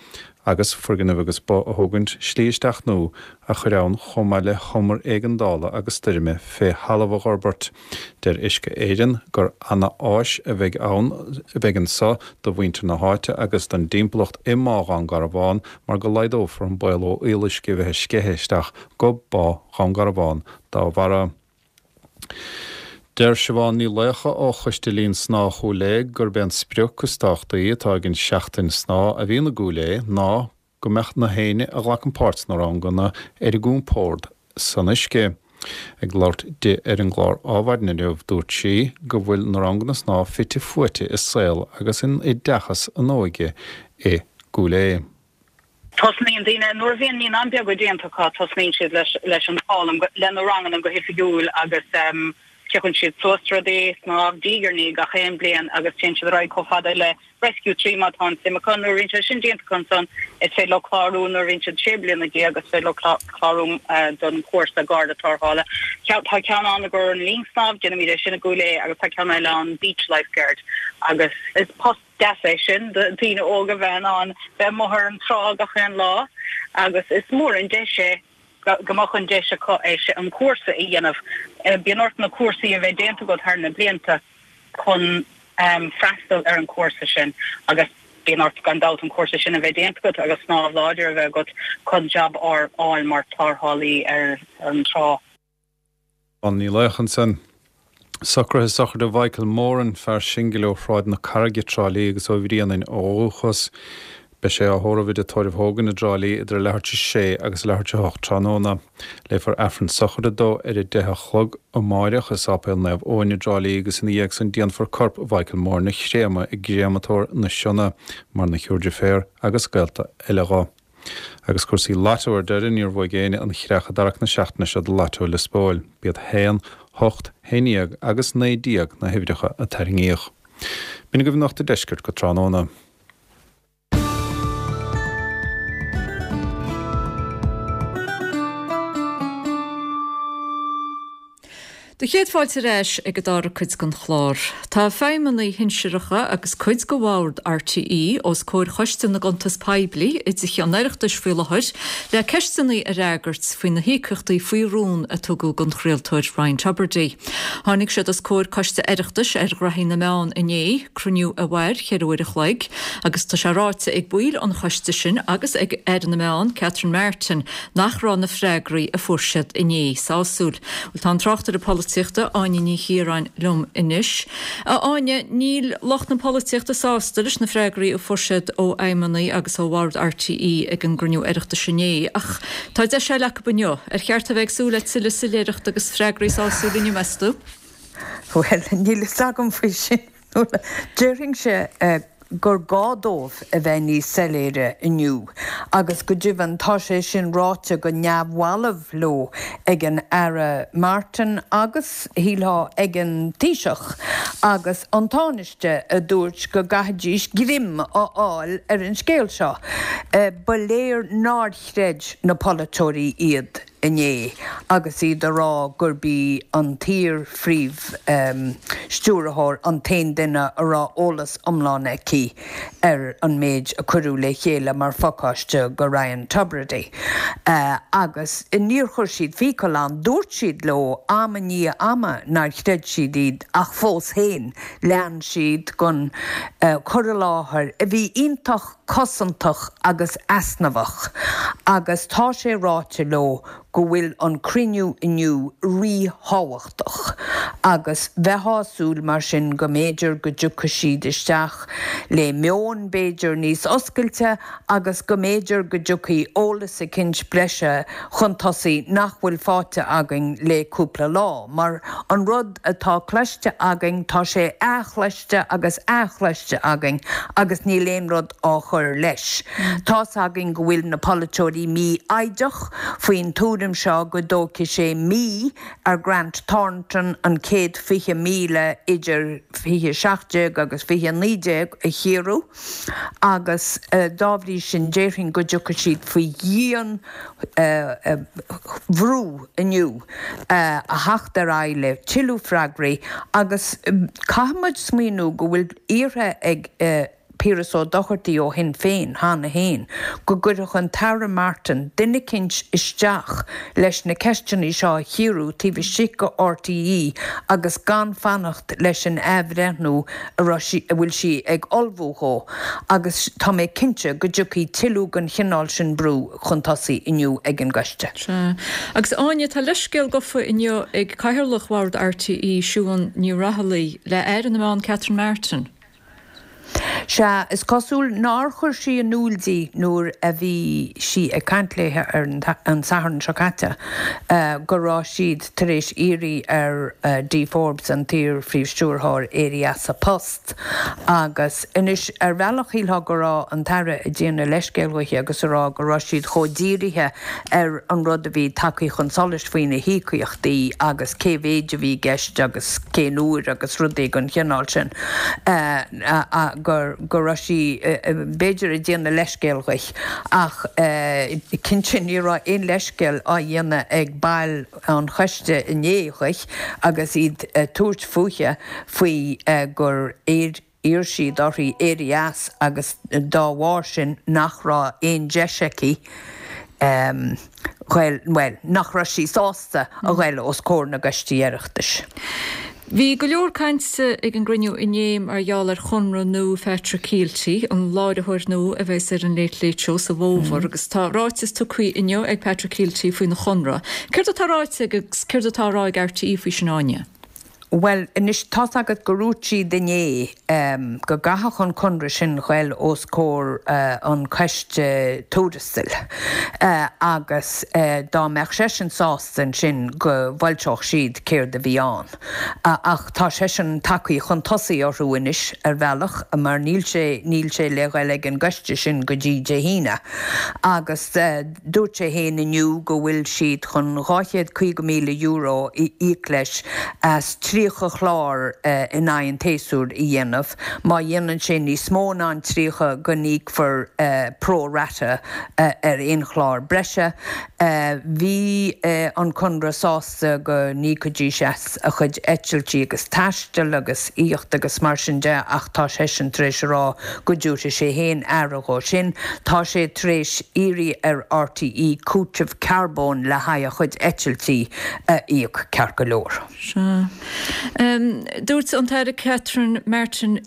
agus foirgneamh agus ba a thógaint, slí isteach nua a chur ann chomh maith le humar éigeandála agus stoirme fé thalamh a dh'fhorbairt. Deir Uisce Éireann gur ana-áis a bheidh ann a bheidh anso do mhuintir na háite agus don dtimpeallacht i mBá Dhún Garbhán mar go laghdófar an baol ó fhuíolluisce a bheith ag sceitheadh isteach go Bá Dhún Garbhán dá bharra. Deir Siobhán Ní Laocha ó Choiste Linn Snámha Chúil Aodha gurb é an sprioc is tábhachtaí atá ag an seachtain snámha a bhíonn i gCúil Aodha ná go mbeadh na héinne a ghlacann páirt sna ranganna ar a gcompord san uisce. Ag labhairt di ar an gclár Ádhmhaidin inniu, dúirt sí go bhfuil na ranganna snámha fite fuaite i saol agus in oideachas an óige i gCúil Aodha. Tosnaíonn daoine, nuair a bhíonn naíonáin beaga déanta acu, tosnaíonn siad leis leis an foghlaim, le na ranganna go hoifigiúil agus piocann siad suas rudaí, snámh, diaidh ar ndiaidh gach aon bliain agus téann siad ar aghaidh chomh fada le Rescue trí má tá an suim acu. Nuair a bhíonn sé sin déanta acu ansan, is féidir leo clárú nuair a bhíonn siad sé bliana déag, is féidir leo clárú don chúrsa Garda Tarrthála. Tá ceann ann i gcomhair an linn snámh, déanaimid é sin i gCúil Aodha agus tá ceann eile ann Beach Lifeguard agus is post deas é sin do dhaoine óga bheith in ann bheith amuigh ar an trá gach aon lá agus is mór an deis é go mbeadh an deis acu é sin, an cúrsa a dhéanamh. Bíonn ort na cúrsaí a bheith déanta agat thar na blianta chun freastal ar an chúrsa sin agus bíonn ort gan dabht an cúrsa sin a bheith déanta agat agus snámh láidir a bheith agat chun jab a fháil mar tarrthálaí ar an trá. Siobhán Ní Laocha ansan. Socruithe sochraide Mhichael Moran, fear singil ó Shráid na Carraige, Trá Lí agus ó Bhrianainn ó dhúchas. Beidh sé á thórramh i dTigh Tórraimh Hogan i dTrá Lí idir a leathuair tar éis a sé agus a leathuair tar éis a hocht tráthnóna. Léifear Aifreann sochraide dó ar a deich a chlog amáireach i Sáipéal Naomh Eoin i dTrá Lí agus ina dhiaidh san déanfar corp Mhichael Moran a chréamadh i gcréamatóir na Sionna mar 'na shiúr deirféar agus gaolta eile dho. Agus cúrsaí Lotto ar deireadh, níor bhuaigh éinne an chreach i dtarrac na seachtaine seo do Lotto Lios Póil. B'iad haon, hocht, haon dhéag agus naoi déag na huimhreacha a tarraingíodh. B'in agaibh Nuacht an Deiscirt go tráthnóna. Do chéad fáilte ar ais ag an dara cuid den chlár. Tá feidhmeannaigh shinsearacha agus cuid de bhord RTÉ os comhair Choiste na gCuntas Poiblí i dTithe an Oireachtais faoi láthair le ceisteanna a fhreagairt faoi na híocaíochtaí faoi rún a tugadh don chraoltóir Ryan Tubridy. Tháinig siad os comhair Coiste Oireachtais ar Ghraithí na Meán inné, cruinniú a mhair cheithre uair a chloig, agus tá sé ráite ag baill an choiste sin agus ag Aire na Meán, Catherine Martin, nach raibh na freagraí a fuair siad inné sásúil. Bhuel, tá an tráchtaire polaitíochta Áine Ní Chiaráin liom anois. A Áine, níl lucht na polaitíochta sásta leis na freagraí a fuair siad ó fheidhmeannaigh agus ó bhord RTÉ ag an gcruinniú Oireachtais inné, ach tá deis eile acu inniu. Ar cheart a bheith ag súil le tuilleadh soiléireachta agus freagraí sásúla inniu, meas tú? Bhuel, níl fhios agam faoi sin. Déarfainnse gur gá dóibh a bheith níos soiléire inniu agus go deimhin tá sé sin ráite go neamhbhalbh leo ag an Aire Martin agus, shílfeá, ag an Taoiseach agus an Tánaiste a dúirt go gcaithfidís greim a fháil ar an scéal seo. Ba léir nár chreid na polaiteoirí iad. inné agus iad a rá gurb í an t-iar-phríomh-stiúrthóir an t-aon duine a raibh eolas iomlán aici ar an méid a cuireadh le chéile mar phacáiste go Ryan Tubridy. Agus níor chuir siad fiacail ann, dúirt siad leo am i ndiaidh ama nár chreid siad iad ach fós féin lean siad den chur i láthair a bhí iontach cosantach agus easnamhach agus tá sé ráite leo go bhfuil an cruinniú inniu ríthábhachtach agus bheifeá ag súil mar sin go mb'fhéidir go dtiocfaidh siad isteach le meon b'fhéidir níos oscailte agus go mb'fhéidir go dtiocfaidh eolas eicínt breise chun tosaigh nach bhfuil faighte againn le cúpla lá mar an rud atá cloiste againn tá sé athchloiste agus athchloiste againn agus níl aon rud á chur leis. Tá's againn go bhfuil na polaiteoirí mífhoighdeach faoin tuairim seo go dtógfaidh sé mí ar Grant Thornton an céad fiche míle idir fiche seacht déag agus fiche naoi déag a chíoradh agus dá bhrí sin déarfainn go dtiocfaidh siad faoi dhian bhrú inniu a theacht ar aghaidh le tuilleadh freagraí agus caithfidh muid smaoineamh go bhfuil iarrtha ag Piaras Ó Dochartaigh ó Shinn Féin cheana féin go gcuirfeadh an tAire Martin duine eicínt isteach leis na ceisteanna seo a chíoradh taobh istigh de RTÉ agus gan fanacht leis an athbhreithniú a raibh sí, a bhfuil sí ag ullmhú dhó agus tá mé cinnte go dtiocfaidh tuilleadh den chineál sin brú chun tosaigh inniu ag an gcoiste. Sea. Agus Áine, tá leithscéal gafa inniu ag Cathaoirleach Bhord RTÉ, Siún Ní Raghallaigh, le Aire na Meán Catherine Martin. Sea, is cosúil nár chuir sí in iúl di nuair a bhí sí ag caint léi ar an Satharn seo caite go raibh siad tar éis iarraidh ar Dee Forbes, an t-iar-phríomh-stiúrthóir, éirí as a post. Agus anois, ar bhealach shílfeá go raibh an tAire ag déanamh leithscéil dhuithi agus a rá go raibh siad chomh dírithe ar an rud a bhí tagtha chun solais faoi na híocaíochtaí agus cé mhéid a bhí i gceist agus cén uair agus rudaí den chineál sin. gur go raibh sí b'fhéidir ag déanamh leithscéil dhuit ach cinnte ní raibh aon leithscéal á dhéanamh ag baill an choiste inné dhuit agus iad ag tabhairt fúithi faoi gur iarr siad uirthi éirí as agus dá bharr sin nach raibh aon deis aici ghoil, bhuel, nach raibh sí sásta a ghoil os comhair na gcoistí Oireachtais. Bhí go leor cainte ag an gcruinniú inné mar gheall ar chonradh nua Phatrick Kielty, an láithreoir nua a bheas ar an Late Late Show sa bhfómhar, agus tá ráiteas tugtha inniu ag Patrick Kielty faoina chonradh. Céard atá ráite aige agus céard atá á rá ag RTÉ faoi sin, Áine? Bhuel, anois, tá's agat gur dhúirt siad inné go gcaithfeadh an conradh sin ghoil os comhair an choiste tuarastail agus dá mbeadh seisean sásta ansin go bhfoilseodh siad céard a bhí ann. Ach tá seisean tagtha chun tosaigh orthu anois ar bhealach mar níl sé, níl sé le ghoil ag an gcoiste sin go dtí Dé hAoine. Agus dúirt sé féin inniu go bhfuil siad chun dhá chéad caoga míle euro a íoc leis as tríocha chlár in aghaidh an tséasúir a dhéanamh. Má dhéanann sé níos mó ná an tríocha go n-íocfar pro rata ar aon chlár breise. Bhí an Conradh sásta go n-íocfaidís as a chuid eitiltí agus taistil agus aíocht agus mar sin de ach tá seisean tar éis a rá go dtabharfaidh sé féin aire dhó sin. Tá sé tar éis iarraidh ar RTÉ cúiteamh carbóin le haghaidh a chuid eitiltí a íoc ceart go leor. Sea. Dúirt an tAire Catherine Martin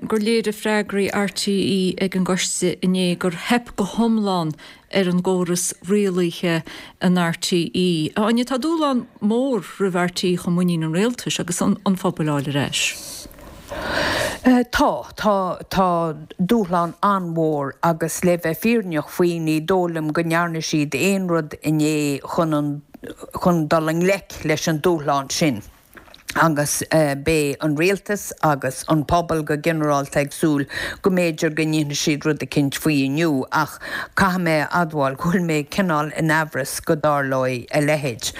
gur léirigh freagraí RTÉ ag an gcoiste inné gur theip go hiomlán ar an gcóras rialaithe in RTÉ. A Áine, tá dúshlán mór roimh RTÉ chun muinín an rialtais agus an phobail a fháil ar ais. Tá, tá, tá dúshlán an-mhór agus le bheith fírinneach faoi ní dóigh liom go ndearna siad aon rud inné chun an, chun dul i ngleic leis an dúshlán sin. Agus beidh an rialtas agus an pobal go ginearálta ag súil go mb'fhéidir go ndéanfaidh siad rud eicínt faoi inniu ach caithfidh mé a admháil go bhfuil mé cineál in aimhreas go dtarlóidh a leithéid.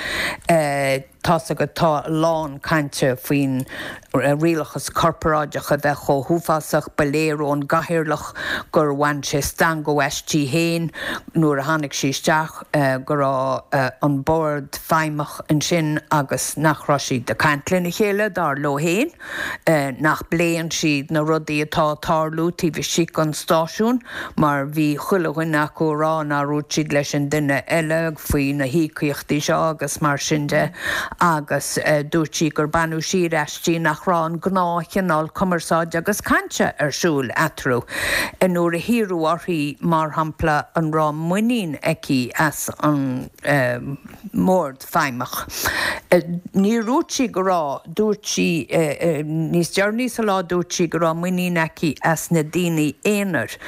Tá's agat tá a lán cainte faoin rialachas corparáideach a bheith chomh huafásach, ba léir ón gcathaoirleach gur bhain sé stangadh aisti féin nuair a tháinig sí isteach go raibh an bord feidhmeach ansin agus nach raibh siad ag caint lena chéile, dar leo féin, nach bpléann siad na rudaí atá ag tarlú taobh istigh den stáisiún mar bhí chuile dhuine acu ag rá nár dhúirt siad leis an duine eile faoi na híocaíochtaí seo agus mar sin de. agus dúirt sí gur baineadh siar aisti nach raibh an gnáthchineál cumarsáide agus cainte ar siúl eatarthu. Nuair a hiarradh uirthi, mar shampla, an raibh muinín aici as an mBord Feidhmeach, níor dhúirt sí go raibh. Dúirt sí, níos deireanaí sa lá, dúirt sí go raibh muinín aici as na daoine aonair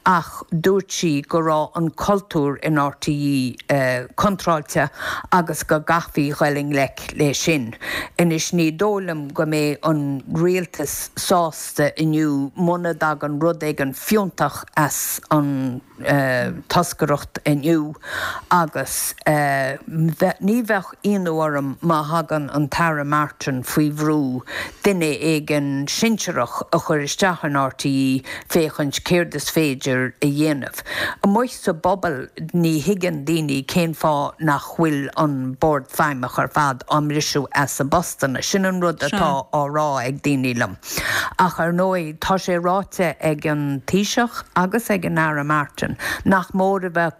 ach dúirt sí go raibh an cultúr in RTÉ contráilte agus go gcaithfí dhul i ngleic leis sin. Anois ní dóigh liom go mbeidh an rialtas sásta inniu muna dtagann rud éigin fiúntach as an toscaireacht inniu agus ní bheadh ionadh orm má thagann an tAire Martin faoi bhrú duine éigin sinsearach a chur isteach in RTÉ féachaint céard is féidir a dhéanamh. Amuigh sa bpobal ní thuigeann daoine cén fáth nach bhfuil an Bord Feidhmeach ar fad á mbriseadh as a bpostanna. Sin an rud atá á rá ag daoine liom. Ach ar ndóigh tá sé ráite ag an Taoiseach agus ag an Aire Martin nach mór a bheith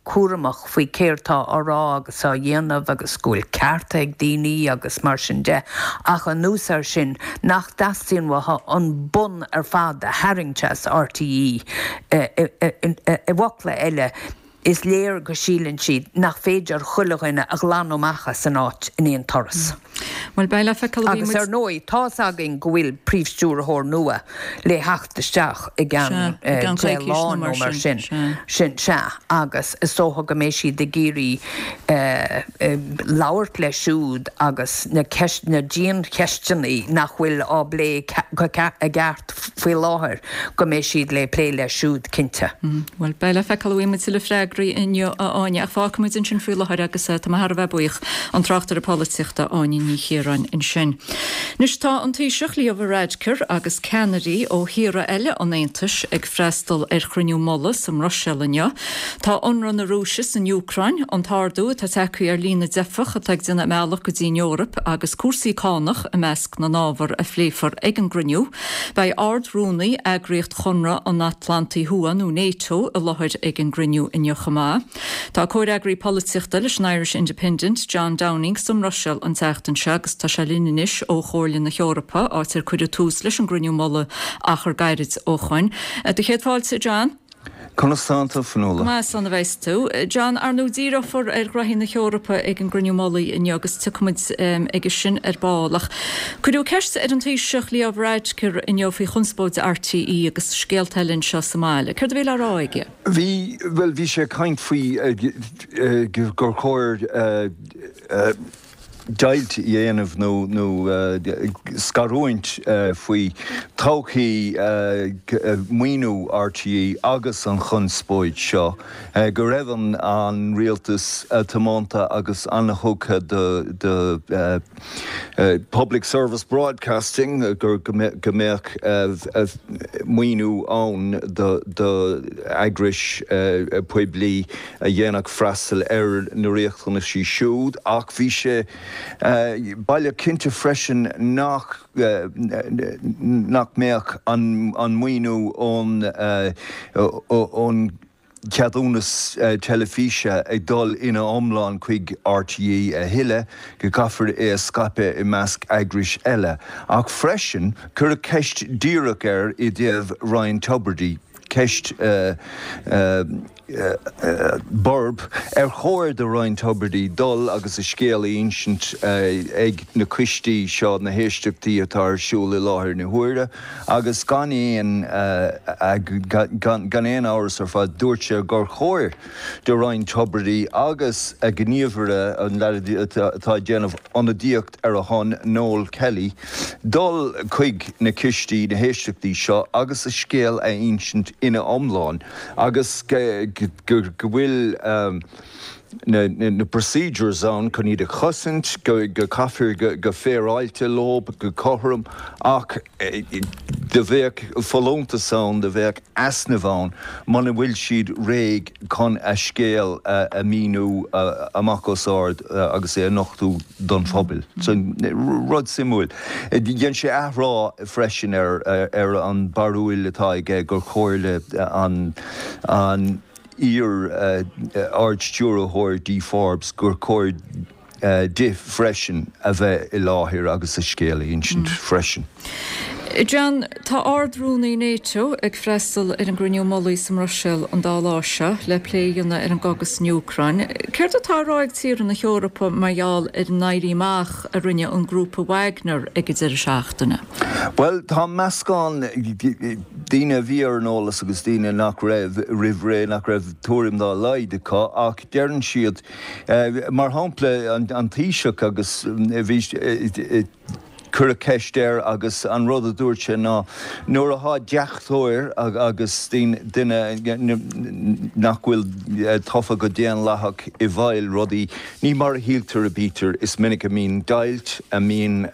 cúramach faoi céard tá á rá agus á dhéanamh agus go bhfuil cearta ag daoine agus mar sin de ach anuas air sin nach dteastaíonn uathu an bonn ar fad a tharraingt as RTÉ. I bhfocla eile, is léir go síleann siad nach féidir chuile dhuine a ghlanadh amach as an áit in aon turas. Bhuel, beidh le feiceáil a bhí Agus muid. ar ndóigh, tá's againn go bhfuil príomhstiúrthóir nua le theacht isteach i gceann Sea, i gceann deich coicís lá nó nó mar mar sin, sin. sea. Sin, sea. Agus is dócha go mbeidh siad ag iarraidh labhairt leis siúd agus na ceist, na diancheisteanna nach bhfuil á bplé go i gceart faoi láthair, go mbeidh siad le plé leis siúd, cinnte. Bhuel, beidh le feiceáil an bhfaighidh muid tuilleadh freagraí inniu, a Áine, ach fágfaidh muid ansin faoi láthair agus tá mé thar a bheith buíoch, an tráchtaire polaitíochta Áine Ní Chiaráin ansin. Anois tá an Taoiseach Leo Varadkar agus ceannairí ó thíortha eile an Aontais ag freastal ar chruinniú mullaigh sa mBruiséil inniu. Tá ionradh na Rúise san Úcráin, an t-ardú atá tagtha ar líon na dteifeach atá ag déanamh a mbealach go dtí an Eoraip agus cúrsaí cánach i measc na n-ábhar a phléifear ag an gcruinniú. Beidh Ard-Rúnaí Eagraíocht Chonradh an Atlantaigh Thuaidh nó NATO i láthair ag an gcruinniú inniu chomh maith. Tá comhfhreagraí polaitíochta leis an Irish Independent, John Downing, sa mBruiséil an tseachtain seo agus tá sé linn anois ó Chomhairle na hEorpa, áit ar cuireadh tús leis an gcruinniú mullaigh achar gairid ó shoin. Do chéad fáilte, a John. Conas tánn tú, Fionnuala? Go maith, slán a bheas tú. John, ar ndóigh díreofar ar ghraithí na hEorpa ag an gcruinniú mullaigh inniu agus tiocfaimid aige sin ar ball. Ach cuireadh ceist ar an Taoiseach Leo Varadkar inniu faoi chonspóid RTÉ agus scéalta eile anseo sa mbaile. Céard a bhí le rá aige? Bhí, bhuel, bhí sé ag caint faoi gur chóir deighilt a dhéanamh nó nó scarúint faoi todhchaí maoiniú RTÉ agus an chonspóid seo, go raibh an an rialtas tiomanta agus an-thugtha do do public service broadcasting, go go mbeadh maoiniú ann do do eagrais poiblí a dhéanfadh freastal ar na riachtanaisí siúd ach bhí sé baileach cinnte freisin nach nach mbeadh an maoiniú ón ón cheadúnas teilifíse ag dul ina iomlán chuig RTÉ a thuilleadh, go gcaithfear é a scaipeadh i measc eagrais eile. Ach freisin, cuireadh ceist díreach air i dtaobh Ryan Tubridy, ceist borb, ar chóir do Ryan Tubridy dul agus a scéal a insint ag na coistí seo, na héisteachtaí atá ar siúl i láthair na huaire, agus gan aon gan aon amhras ar fad dúirt sé gur chóir do Ryan Tubridy agus a ghníomhaire, an leaid atá ag déanamh ionadaíocht ar a shon, Noel Kelly, dul chuig na coistí, na héisteachtaí seo agus a scéal a insint ina iomlán agus go bhfuil na procedures ann chun iad a chosaint, go gcaithfear go féaráilte leo, go cothrom, ach do bheadh folúntas ann, do bheadh easnamh ann muna bhfuil siad réidh chun a scéal a mhíniú amach os ard agus é a nochtadh don phobal. So, rud suimiúil. Dhein sé athrá freisin ar an barúil atá aige gur chóir le an an iar-Ard-Stiúrthóir Dee Forbes gur chóir di freisin a bheith i láthair agus a scéal a insint freisin. John, tá Ard-Rúnaí Nato ag freastal ar an gcruinniú mullaigh sa mBruiséil an dá lá seo le plé a dhéanamh ar an gcogadh san Úcráin. Céard atá á rá ag tíortha na hEorpa mar gheall ar an éirí amach a rinne an grúpa Wagner ag an deireadh seachtaine? Bhuel, tá meascán daoine a bhí ar an eolas agus daoine nach raibh roimh ré, nach raibh tuairim dá laghad acu, ach deireann siad, mar shampla, an Taoiseach agus bhí, cuireadh ceist air agus an rud a dúirt sé ná nuair atá deachtóir agus duine nach bhfuil tofa go daonlathach i bhfeighil rudaí, ní mar a shíltear a bítear, is minic a mbíonn deighilt, a mbíonn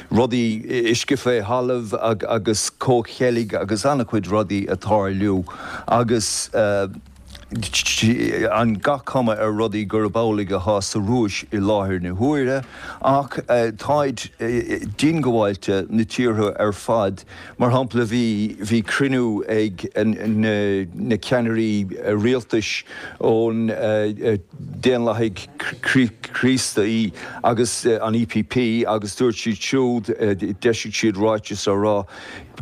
rudaí, uisce fé thalamh agus comhcheilg agus an-chuid rudaí ag tarlú agus. An gach cuma ar rudaí gurb amhlaidh atá sa Rúis i láthair na huaire, ach táid diongbháilte, na tíortha ar fad. Mar shampla, bhí bhí cruinniú ag na ceannairí rialtais ón Daonlathaigh Chríostaí agus an EPP agus dúirt siad siúd, d'eisigh siad ráiteas á rá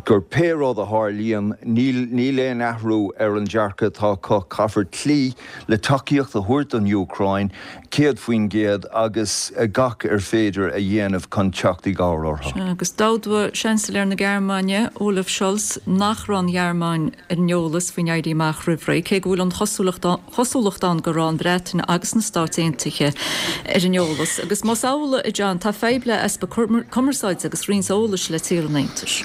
gur pé rud a tharlaíonn, níl níl aon athrú ar an dearcadh atá acu, caithfear cloí le tacaíocht a thabhairt don Úcráin céad faoin gcéad agus gach ar féidir a dhéanamh chun teacht i gcabhair orthu. Agus d'admhaigh Seansailéir na Gearmáine, Olaf Scholz, nach raibh an Ghearmáin ar an eolas faoin éirí amach roimh ré, cé go bhfuil an chosúlacht ann go raibh an Bhreatain agus na Stáit Aontaithe ar an eolas. Agus más amhlaidh, a John, tá fadhb le easpa cumarsáide agus roinnt eolais le tíortha an Aontais.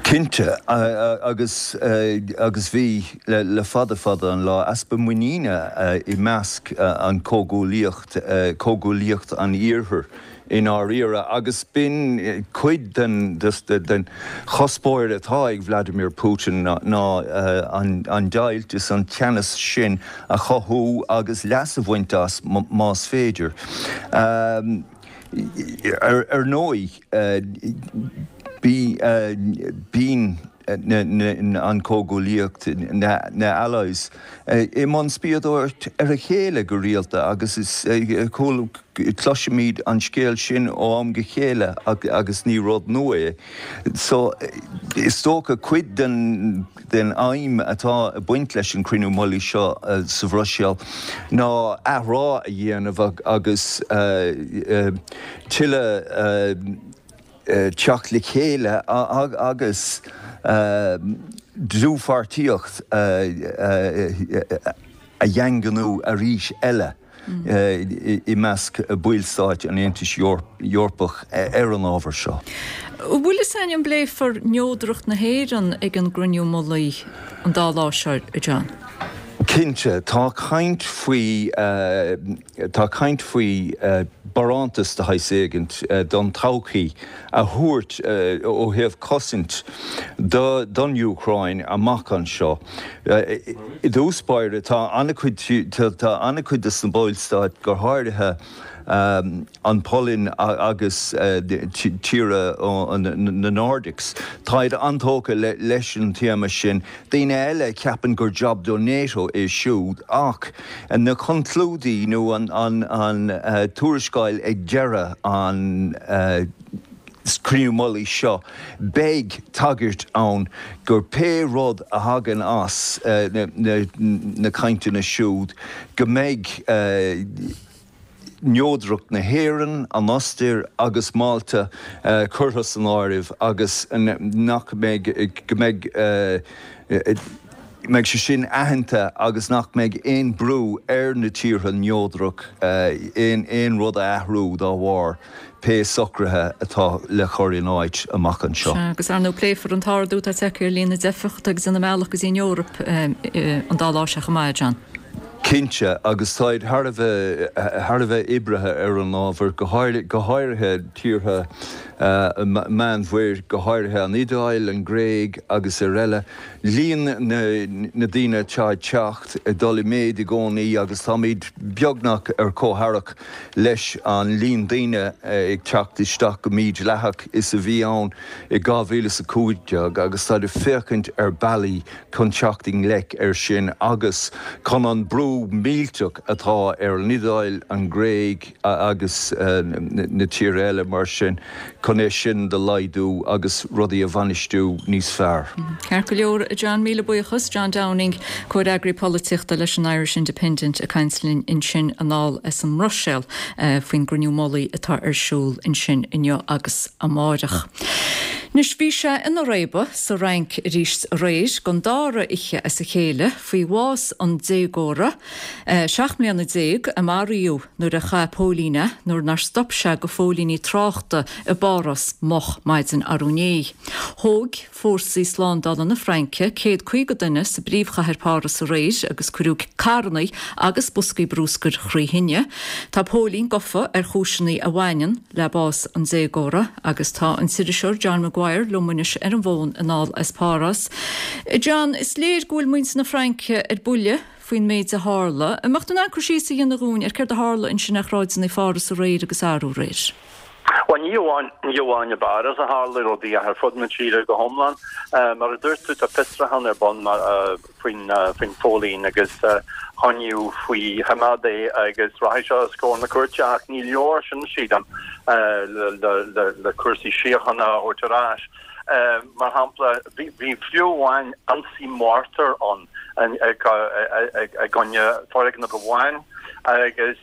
Cinnte, agus agus bhí le fada fada an lá, easpa muiníne i measc an comhghuaillíocht, comhghuaillíocht an Iarthair i ndáiríre, agus b'in cuid den den chuspóir atá ag Vladimir Putin ná an deighilt is an teannas sin a chothú agus leas a bhaint as más féidir. Ar ndóigh, bíonn an Chomhghuaillíocht, na Allies, i mbun spiadóireacht ar a chéile go rialta agus is cloisimid an scéal sin ó am go chéile agus ní rud nua é. So, is dócha cuid den den aidhm atá ag baint leis an cruinniú mullaigh seo sa Bhruiséil ná athrá a dhéanamh agus tuilleadh teacht le chéile agus dlúthpháirtíocht a dhaingniú arís eile i measc ballstáit an Aontais Eorpaigh ar an ábhar seo. An bhfuil fhios againn an bpléifear neodracht na hÉireann ag an gcruinniú mullaigh an dá lá seo, a John? Cinnte, tá caint faoi, tá caint faoi barántas de shaghas éigint don todhchaí a thabhairt ó thaobh cosaint don Úcráin amach anseo. I dtús báire, tá an-chuid, tá an-chuid de na ballstáit, go háirithe an Pholainn agus tíortha na Nordics, táid an-tógtha leis an téama sin. Daoine eile ceapann gur jab do NATO é siúd ach na conclúidí nó an tuarascáil ag deireadh an cruinniú mullaigh seo, beidh tagairt ann gur pé rud a thagann as na cainteanna siúd go mbeidh neodracht na hÉireann, an Ostair agus Málta curtha san áireamh agus nach mbeidh, go mbeidh, mbeidh sé sin aitheanta agus nach mbeidh aon brú ar na tíortha neodrach aon aon rud a athrú dá bharr pé socruithe atá le cur in áit amach anseo. Sea, agus ar ndóigh pléifear an t-ardú atá tagtha ar líon na dteifeach atá ag déanamh a mbealach go dtí an Eoraip an dá lá seo chomh maith, a John. Cinnte, agus táid thar a bheith thar a bheith oibrithe ar an ábhar, go go háirithe tíortha Meánmhuir, go háirithe an Iodáil, an Ghréig agus araile. Líon na na daoine atá ag teacht ag dul i méid i gcónaí agus táimid beagnach ar comhtharrac leis an líon daoine ag teacht isteach go mídhleathach is a bhí ann i dhá mhíle is a cúig déag agus táid ag féachaint ar bealaí chun teacht i ngleic air sin agus chun an brú millteach atá ar an Iodáil, an Ghréig agus na tíortha eile mar sin chun é sin do laghdú agus rudaí a bhainistiú níos fearr. Ceart go leor, a John, míle buíochas. John Downing, Comhfhreagraí Polaitíochta leis an Irish Independent ag caint linn ansin anall as an mBruiséil faoin gcruinniú mullaigh atá ar siúl ansin inniu agus amáireach. Anois bhí sé ina réabadh sa Fhrainc arís aréir don dara oíche as a chéile faoi bhás an déagóra seacht mbliana déag a maraíodh nuair a chaith póilín é nuair nár stop sé go phóilíní tráchta i bPáras moch maidin arú inné. Thóg fórsaí slándála na Fraince céad caoga duine sa bpríomhchathair Páras aréir agus cuireadh carranna agus boscaí brúscair thrí thine. Tá póilín gafa ar chúiseanna a bhaineann le bás an déagóra agus tá an t-iriseoir John Maguire liom anois ar an bhfón anall as Páras. John, is léir go bhfuil muintir na Fraince ar buile faoin méid a tharla. An mbeadh tú in ann cur síos a dhéanamh dhúinn ar céard a tharla ansin ar shráideanna Pháras aréir agus arú aréir? Bhuel, ní amháin, ní amháin i bPáras a tharla rudaí ach ar fud na tíre go hiomlán. Mar a dúirt tú, tá fiosrúchán ar bun faoin, faoin phóilín agus coinníodh faoi choimeád é agus rachaidh sé os comhair na cúirte ach ní leor sin, sílim, le, le, le, le cúrsaí síochána a thabhairt ar ais. Mar shampla, bhí, bhí fiú amháin ionsaí mortar ann i gcoinne foirgneamh amháin agus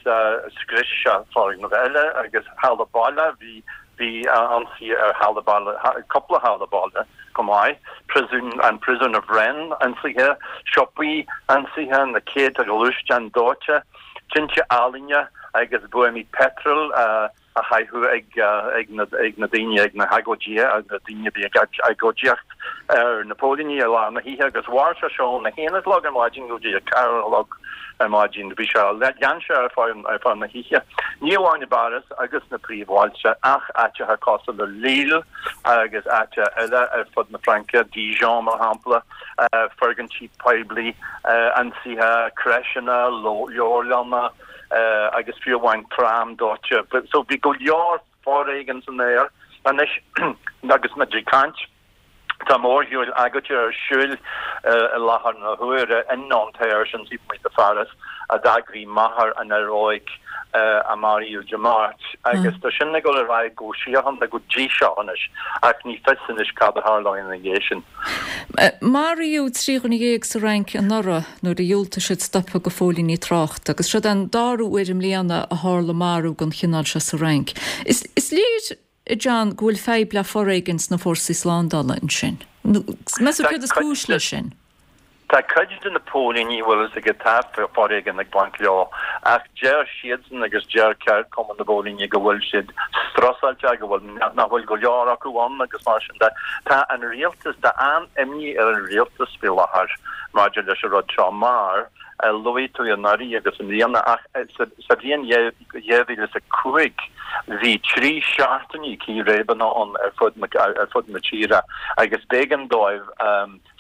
scrios sé foirgneamh eile agus halla baile, bhí bhí ionsaí ar halla baile, cúpla halla baile chomh maith, príosún, an príosún i Fresnes ionsaithe, siopaí ionsaithe, na céadta gluaisteán dóite, tinte ealaíne agus buamaí peitril a chaitheadh ag na daoine, ag na hagóidithe, na daoine a bhí ag agóidíocht ar na póilíní i lár na hoíche agus mhair sé seo óna haon a chlog ar maidin go dtí a ceathair a chlog ar maidin. Bhí sé, lean sé ar feadh ar feadh na hoíche. Ní amháin i bPáras agus na príomhbhailte ach áiteacha cosúil le Lille agus áiteacha eile ar fud na Fraince, Dijon mar shampla, foirgintí poiblí ionsaithe, crècheanna, leabharlanna, agus fiú amháin tram dóite. So bhí go leor foréigin san aer anois agus muid ag caint. Tá mórshiúil agóide ar siúl i láthair na huaire in Nanterre, sin taobh amuigh de Pháras, a d'eagraigh máthair an fhir óig a maraíodh Dé Máirt agus tá sin ag dul ar aghaidh go síochánta go dtí seo anois ach ní fios anois cad a tharlóidh ina dhiaidh sin. Maraíodh trí dhuine dhéag sa Fhrainc anuraidh nuair a dhiúltaigh siad stopadh go phóilíní tráchta agus seo an dara huair i mbliana a tharla marú den chineál seo sa Fhrainc. Is léir, a John, go bhfuil fadhb le foréigean sna fórsaí slándála ansin. Meas tú céard is cúis leis sin? Tá cuid de na póilíní, bhfuil fhios agat, tá foréigean ag baint leo ach deir siadsan agus deir ceardchumann na bpóilíní go bhfuil siad strusáilte, go bhfuil, nach bhfuil go leor acu ann agus mar sin de. Tá an rialtas, tá an-imní ar an rialtas faoi láthair maidir leis an rud seo mar luaigh tú anuraidh agus i mbliana ach sa bhliain dhá mhíle is a cúig bhí trí seachtainí círéibeanna ann ar fud ar fud na tíre agus b'éigean dóibh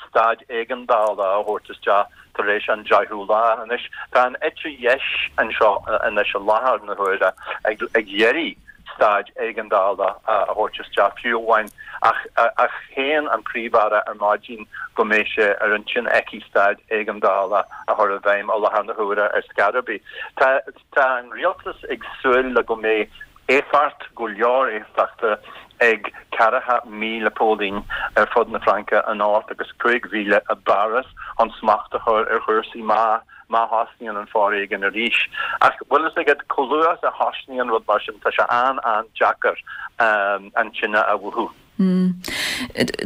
staid éigeandála a thabhairt isteach tar éis an deichiú lá. Anois, tá an eite dheis anseo anois i láthair na huaire ag iarraidh staid éigeandála a thabhairt isteach fiú amháin ach ach shéan an Príomh-Aire ar maidin go mbeidh sé ar intinn aici staid éigeandála a chur i bhfeidhm i láthair na huaire ar scor ar bith. Tá tá an rialtas ag súil le go mbeidh éifeacht, go leor éifeachta ag ceathracha míle póilín ar fud na Fraince anocht agus cúig mhíle i bPáras chun smacht a chur ar chúrsaí má má thosnaíonn an foréigean arís. Ach bhfuil fhios agat, chomh luath is a thosnaíonn rud mar sin, tá sé an-an-deacair an tine a mhúchadh.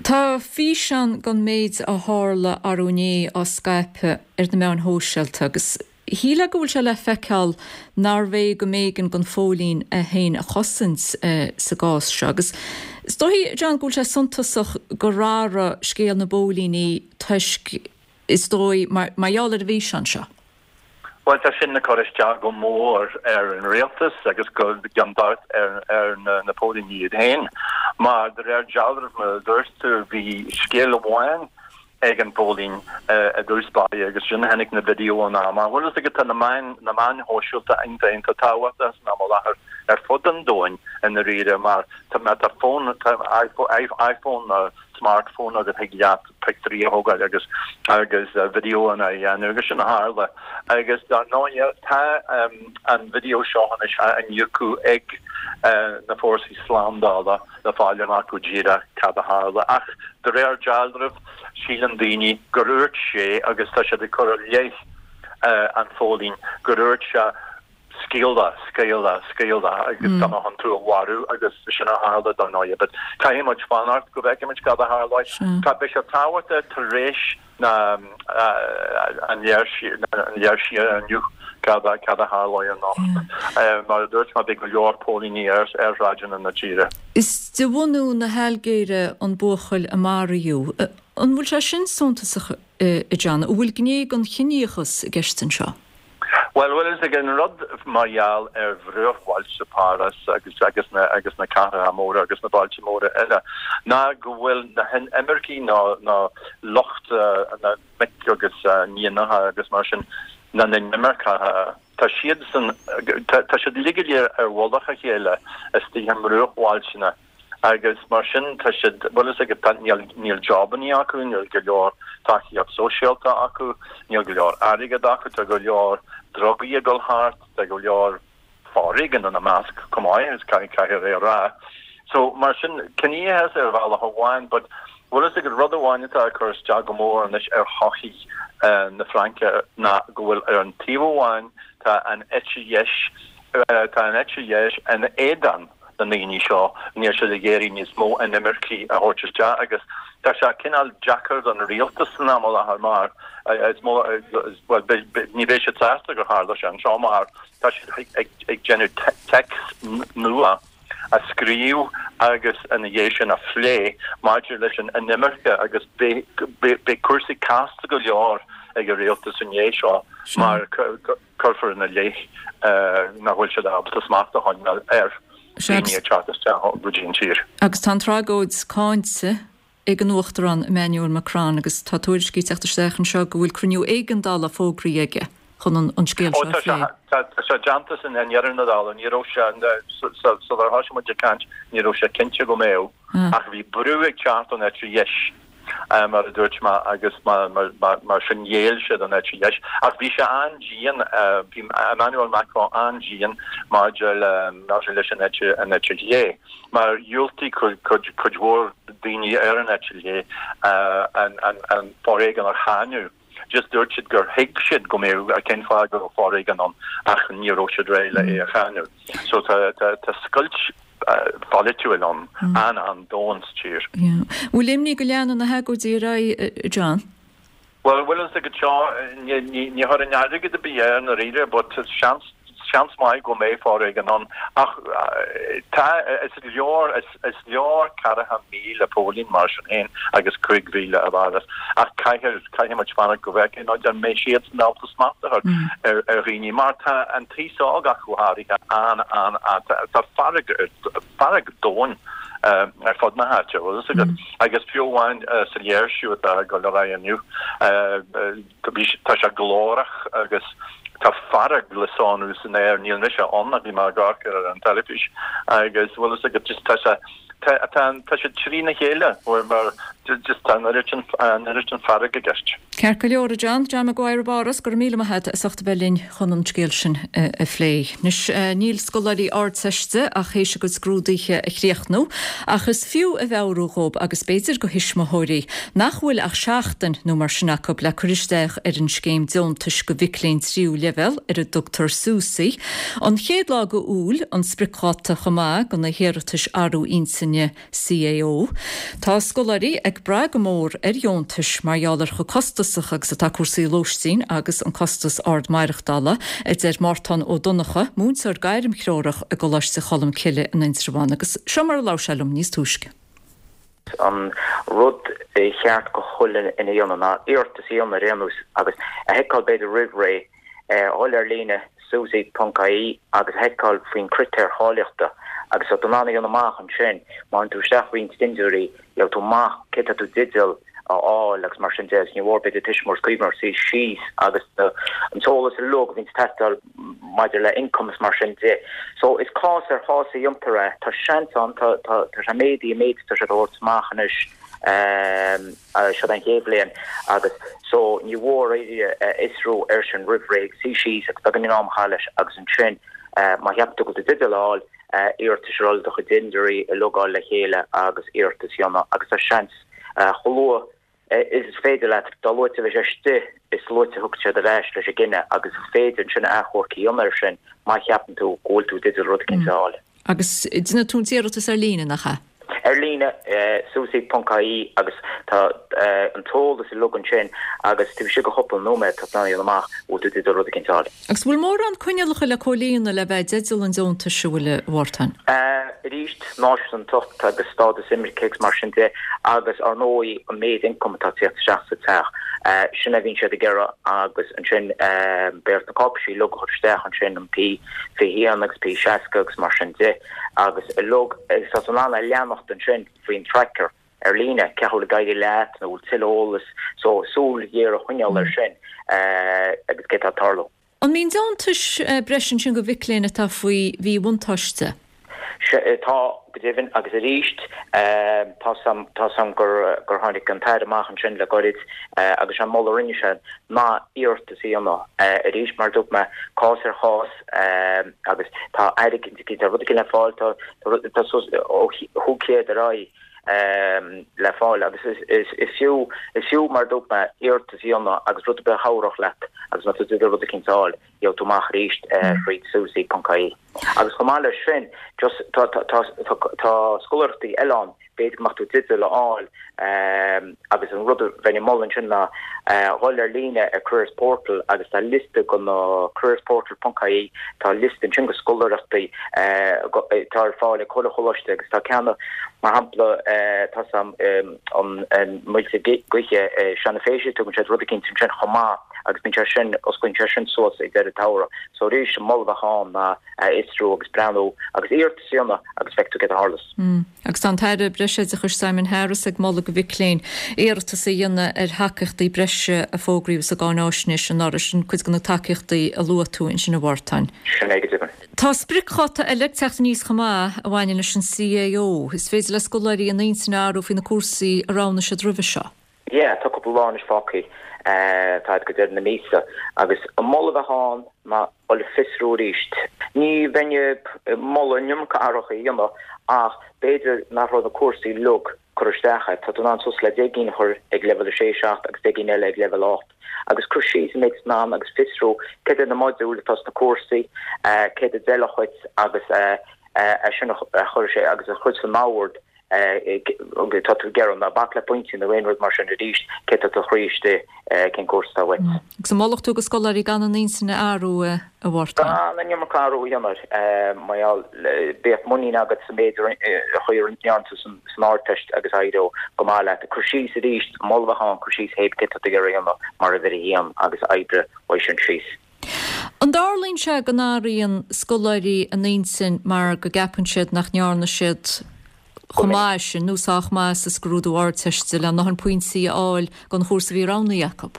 Tá físeán den méid a tharla arú inné á scaipeadh ar na meáin shóisialta agus shílfeá go bhfuil sé le feiceáil nárbh é go mb'éigean don phóilín é féin a chosaint sa gcás seo. Agus is dóigh, John, go bhfuil sé suntasach gur athraigh scéal na bpóilíní toisc, is dóigh, mar gheall ar an bhfíseán seo. Bhuel, tá sin ag cur isteach go mór ar an rialtas agus go gan dabht ar ar na na póilíní iad féin. Mar de réir dealraimh, mar a dúirt tú, bhí scéal amháin ag an bpóilín i dtús báire agus ansin tháinig na videoanna amach. Bhuel, is ag tá na meáin na meáin shóisialta iontach iontach tábhachtach san am i láthair ar fud an domhain i ndáiríre mar tá má tá fón tá iPhone nó smartphone agat thig leat pictiúirí a thógáil agus agus videoanna a dhéanamh agus sin a tharla. Agus dar ndóigh tá an video seo anois á iniúchadh ag na fórsaí slándála le fáil amach go díreach cad a tharla. Ach de réir dealraimh síleann daoine gur dhúirt sé, agus tá siad ag cur i leith an phóilín, gur dhúirt sé scaoil, scaoil, scaoil agus tá mé chun tú a mharú agus sin a tharla dar ndóigh. But caithfidh muid fanacht go bhfeicfimid cad a tharlóidh. Tá beidh sé tábhachtach tar éis na an léirsithe inniu cad a cad a tharlóidh anocht. Mar a dúirt mé beidh go leor póilíní ar ar shráideanna na tíre. Is de bhunú na hAilgéire an buachaill a maraíodh. An bhfuil sé sin suntasach a John? An bhfuil gné den chiníochas i gceist anseo? Bhuel, bhfuil fhios agat an rud mar gheall ar bhruachbhailte Páras agus agus na agus na cathracha móra agus na bailte móra eile ná go bhfuil na hinimircigh nó nó lucht na mic agus níonacha agus mar sin na n-inimirceach tá siadsan tá siad uilig go léir ar mhullach a chéile istigh i mbruachbhailte Agus mar sin tá siad, bhfuil fhios agat, tá, níl, níl jobannaí acu, níl go leor tacaíocht sóisialta acu, níl go leor airgead acu, tá go leor drugaí ag dul thart, tá go leor foréigean ina measc chomh maith, is caithfidh, caithfear é a rá. So mar sin, ciníochas ar bhealach amháin, but bhfuil fhios agat, rud amháin atá ag cur isteach go mór anois ar shochaí na Fraince ná go bhfuil ar an taobh amháin tá an eite dheis, tá an eite dheis in éadan na ndaoine seo, níl siad ag iarraidh níos mó inimircigh a thabhairt isteach agus tá sé cineál deacair don rialtas san am i láthair mar is mó, bhuel, ní bheidh siad sásta gur tharla sé anseo mar tá siad ag déanamh téacs nua a scríobh agus ina dhiaidh sin a phlé maidir leis an inimirce agus beidh cúrsaí casta go leor ag an rialtas i ndiaidh seo mar cuirfear ina leith nach bhfuil siad ábalta smacht a choinneáil ar dhaoine ag teacht isteach go dtí an tír. Agus tá an tragóid cáinte ag an Uachtarán Emmanuel Macron agus tá tuairiscí ag teacht isteach anseo go bhfuil cruinniú éigeandála fógraithe aige chun an scéal seo a phlé. Tá sé déanta i ndeireadh na dála, ní raibh sé, sular thosaigh muid ag caint, ní raibh sé cinnte go mbeadh ach bhí brú ag teacht ón eite dheis. mar a dúirt mé, agus mar sin ghéill sé don eite dheis. Ach bhí sé an-dian, bhí Emmanuel Macron an-dian maidir le, maidir leis an eite, an eite chlé, mar dhiúltaigh cuid, cuid mhór daoine ar an eite chlé an, an, an foréigean a cháineadh. Just dúirt siad gur thuig siad go mbeadh, cén fáth go raibh foréigean ann ach ní raibh siad réidh le é a cháineadh. So tá, tá, tá scoilt pholaitiúil ann, an-an-domhain sa tír. Bhfuil imní go leanfaidh na hagóidí ar aghaidh, a John? Bhuel, bhfuil fhios agat seo, ní chuirfinn airgead ar bith air i ndáiríre, but seans, seans maith go mbeidh foréigean ann. Ach tá, is leor, is leor ceathracha míle póilín mar sin féin agus cúig mhíle i bPáras. Ach caithfidh, caithfidh muid fanacht go bhfeicfidh muid an mbeidh siadsan ábalta smacht a chur ar dhaoine mar tá an t-aos óg ach go háirithe an an an tá fearg fearg domhain ar fud na háite bhfuil fhios agat agus fiú amháin sa léirsiú atá ag dul ar aghaidh inniu tá sé glórach agus tá fearg le sonrú san aer níl mise ann ach bhí mé ag amharc ar an teilifís agus bhfuil fhios agat just tá sé Tá tá siad trína chéile mar just tá an oiread sin an oiread sin fearg i gceist. Ceart go leor, a John. John Maguire i bPáras, go raibh míle maith agat as ucht a bheith linn chun an scéal sin a phlé. Anois, níl scoláirí Ardteiste ach théis a gcuid scrúduithe a chríochnú, ach is fiú a mheabhrú dhóibh, agus b'fhéidir do thuismitheoirí, nach bhfuil ach seachtain nó mar sin acu le cur isteach ar an scéim deontais do mhic léinn tríú leibhéal, ar a dtugtar SUSI. An chéad lá de Iúil an spriocdháta chomh maith do na hiarratais athrú intinne CAO. Tá scoláirí ag brath go mór ar dheontais mar gheall ar chomh costasach agus atá cúrsaí lóistín agus an costas ard maireachtála, a deir Mártán Ó Donnchadha, múinteoir gairmthreorach i gColáiste Cholmcille in Indreabhán agus seo mar a labhair sé liom níos túisce. An rud ba cheart go chuile dhuine a dhéanamh ná iarratas a dhéanamh ar aon nós agus a sheiceáil b'fhéidir roimh ré dhul ar líne susi ponc ie agus a sheiceáil faoin critéir cháilíochta agus tá tú in ann a dhéanamh amach ansin má théann tú isteach roinnt dintiúirí gheobhaidh tú amach cé tá tú i dteideal a fháil agus mar sin de agus ní mhór b'fhéidir tuismitheoirí cuimhneamh suí síos agus an t-eolas uilig a bhíonn ag teastáil maidir le income is mar sin de. So is cás ar chás a dhéantar é. Tá seans ann, tá tá tá sé méadaithe an méid tá sé á thabhairt amach anois seo an chéad bhliain agus so ní mhór a fhiosrú air sin roimh ré, suí síos agus beagáinín am a chaitheamh leis agus ansin má cheapann tú go bhfuil tú i dteideal a fháil iarratas ar fháil do chuid dintiúirí a logáil le chéile agus iarratas a dhéanamh agus tá seans chomh luath is féidir leat, dá luaite a bheidh sé istigh, is luaite a thiocfaidh siad ar ais leis an gcinneadh agus is féidir ansin achomharc a dhéanamh air sin má cheapann tú go bhfuil tú i dteideal rud eicínt a fháil. Agus déanann tú an t-iarratas ar líne, nach ea? Ar líne, susi ponc ie agus tá an t-eolas uilig ansin agus taobh istigh de chúpla nóiméad tá tú in ann a dhéanamh amach an bhfuil tú i dteideal rud eicínt a fháil. Agus bhfuil mórán coinníollacha le comhlíonadh le bheith i dteideal an deontais, an bhfuil, a Mhártain? Arís, náisiúntacht agus stádas imirce agus mar sin de agus ar ndóigh an méid ioncaim atá ag tíocht isteach sa teach. Sin a bhíonn siad ag iarraidh agus ansin beidh ort na cáipéisí uilig a chur isteach ansin, an P fiche haon agus P seasca agus mar sin de agus uilig agus tá tú in ann a leanacht ansin faoin tracker ar líne cé chaoi a bhfuil ag éirí leat nó bhfuil tuilleadh eolas so súil ghéar a choinneáil air sin agus cé tá ag tarlú. An mbíonn deontais breise ansin do mhic léinn atá faoi mhíbhuntáiste? Sea, tá, go deimhin, agus arís, tá 's a'm, tá 's a'm gur, gur tháinig an tAire amach ansin le goirid agus sé an moladh a rinne sé ná iarratas a dhéanamh arís, mar a dúirt mé, cás ar chás agus tá airgead, tá rud éigin le fáil, tá, tá suas ó chúig chéad ar aghaidh le fáil agus is, is fiú, is fiú, mar a dúirt mé, iarratas a dhéanamh agus rud ar bith a chabhródh leat agus má tá tú i dteideal rud eicínt a fháil. Gheobhaidh tú amach arís thríd susi ponc ie. Agus chomh maith leis sin, just tá tá tá tá tá scoláireachtaí eile ann, b'fhéidir go mbeadh tú i dteideal a fháil agus an rud a bheinn ag moladh ansin ná dhul ar líne ar Careers Portal agus tá liosta go na careersportal ponc ie, tá liosta ansin go scoláireachtaí atá ar fáil ag chuile choláiste agus tá ceann mar shampla tá 's a'm an Muilte Gaoithe i Seanadh Phéise, tugann siad rud eicínt ansin chomh maith. agus bíonn sé sin, osclaíonn sé sin suas ag deireadh an tsamhraidh. So arís, an moladh a bheadh ann ná a fhiosrú agus breathnú agus iarratas a dhéanamh agus feicfidh tú céard a tharlós. Agus tá an tAire Breisoideachais Simon Harris ag moladh do mhic léinn iarratas a dhéanamh ar thacaíochtaí breise a fógraíodh sa gcáináisnéis anuraidh, sin cuid de na tacaíochtaí a luaigh tú ansin a Mhártain. Sin é go deimhin. Tá spriocdháta eile ag teacht aníos chomh maith a bhaineann leis an CAO. Is féidir le scoláirí a n-intinn a athrú faoi na cúrsaí a roghnaigh siad roimhe seo. Yeah, tá cúpla lá anois fágtha, tá go deireadh na míosa, agus an moladh a bheadh ann ná dul ag fiosrú arís. Ní bheinn ag moladh an iomarca athruithe a dhéanamh ach b'fhéidir nach raibh na cúrsaí uilig curtha isteach agat. Tá tú in ann suas le deich gcinn a chur ag leibhéal a sé, seacht agus deich gcinn eile ag leibhéal a hocht. Agus cur síos an méid is in ann agus fiosrú céard iad na modúil atá sna cúrsaí, céard a d'fheilfeadh dhuit agus é sin a chur sé agus a chur san ord. tá tú ag iarraidh ná bac le pointí nó aon rud mar sin arís, cé tá do chroí istigh, cén cúrsa atá uait. Agus an molfadh tú go scoláirí gan a n-intinn a athrú, a Mhártain? Gan an iomarca athrú a dhéanamh, mar gheall, bíodh muinín agat sa méid a chaoi a ndearna tú san Ardteist agus éireoidh go maith leat. Cur síos arís, moladh a bheadh ann, cur síos théip cé tá tú ag iarraidh a dhéanamh mar uimhir a haon agus oibrigh uaidh sin síos. An dtarlaíonn sé go n-athraíonn scoláirí a n-intinn mar go gceapann siad nach ndearna siad chomh maith sin nó sách maith sa scrúdú Ardteiste le ndóthain pointí a fháil don chúrsa a bhí roghnaithe acu?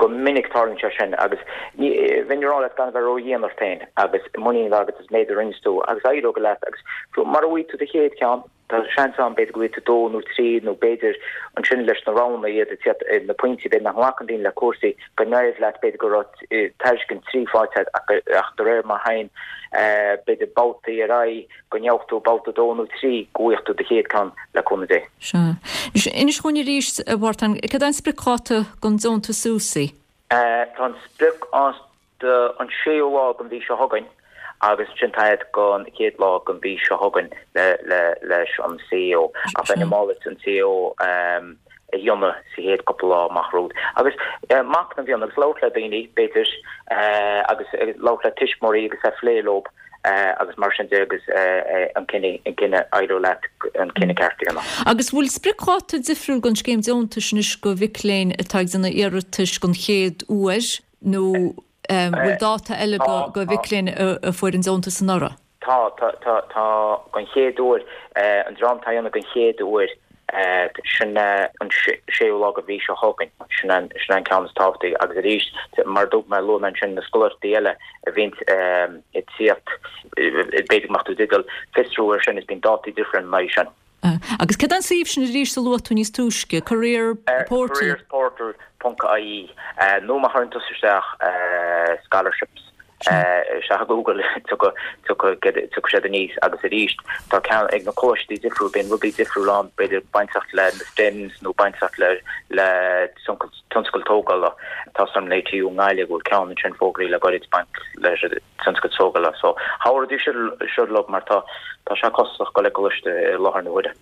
Go minic tarlaíonn sé sin agus bheinn ag rá leat gan a bheith ró-dhian ort féin agus muinín a bheith agat as an méid a rinne tú agus éireoidh leat agus mura bhfaighidh tú do chéad cheann, tá seans ann b'fhéidir go bhfaighidh tú dó nó trí nó b'fhéidir ansin leis na roghanna iad ag tíocht na pointí b'fhéidir nach nglacann daoine le cúrsaí go n-éireoidh leat b'fhéidir go raibh tairiscint trí faighte agat ach de réir mar a théann b'fhéidir babhtaí ar aghaidh go ngeobhaidh tú babhta dó nó trí go bhfaighidh tú do chéad ceann le cúnamh Dé. Sea. Anois, inis dhúinn arís, a Mhártain, cad é an spriocdháta don deontas SUSI? Tá an spriocdháta an séú lá den mhí seo chugainn agus ansin tá fhad don chéad lá den mhí seo chugainn leis an CAO. Ach bheinn ag moladh an CAO a dhéanamh sa chéad cúpla lá amach romhat. Agus machnamh a dhéanamh agus labhairt le daoine, b'fhéidir, agus labhairt le tuismitheoirí agus a phlé leo agus mar sin de agus an cinneadh, an cinneadh, éireoidh leat an cinneadh ceart a dhéanamh. Agus bhfuil spriocdháta difriúil don scéim deontais anois do mhic léinn atá ag déanamh iarratais don chéad uair nó Bhfuil dáta eile do mhic léinn a fuair an deontas anuraidh? Tá, tá, tá, tá don chéad uair, an dream atá á dhéanamh don chéad uair, sin an séú lá de mhí seo chugainn, sin an, sin an ceann is tábhachtaí agus arís, mar a dúirt mé, luaigh mé ansin na scoláireachtaí eile a bhíonn ag tíocht, b'fhéidir go mbeadh tú i dteideal fiosrú ar sin is bíonn dátaí difriúla ina aghaidh sin. Agus cad é an suíomh sin arís a luaigh tú níos túisce? Career Portal? Careersportal ponc ie nó má chuireann tusa isteach scholarships isteach i Google tiocfaidh siad aníos agus arís tá ceann ag na coláistí difriúil bíonn rudaí difriúil ann b'fhéidir bainteach le na STEMs nó bainteach le le tionscal tógála. Tá 's agam in ATU i nGaillimh go bhfuil ceann ansin fógraithe le gairid baint le tionscal tógála so thabharfaidís seo leo mar tá tá sé costasach dul ag coláiste i láthair na huaire.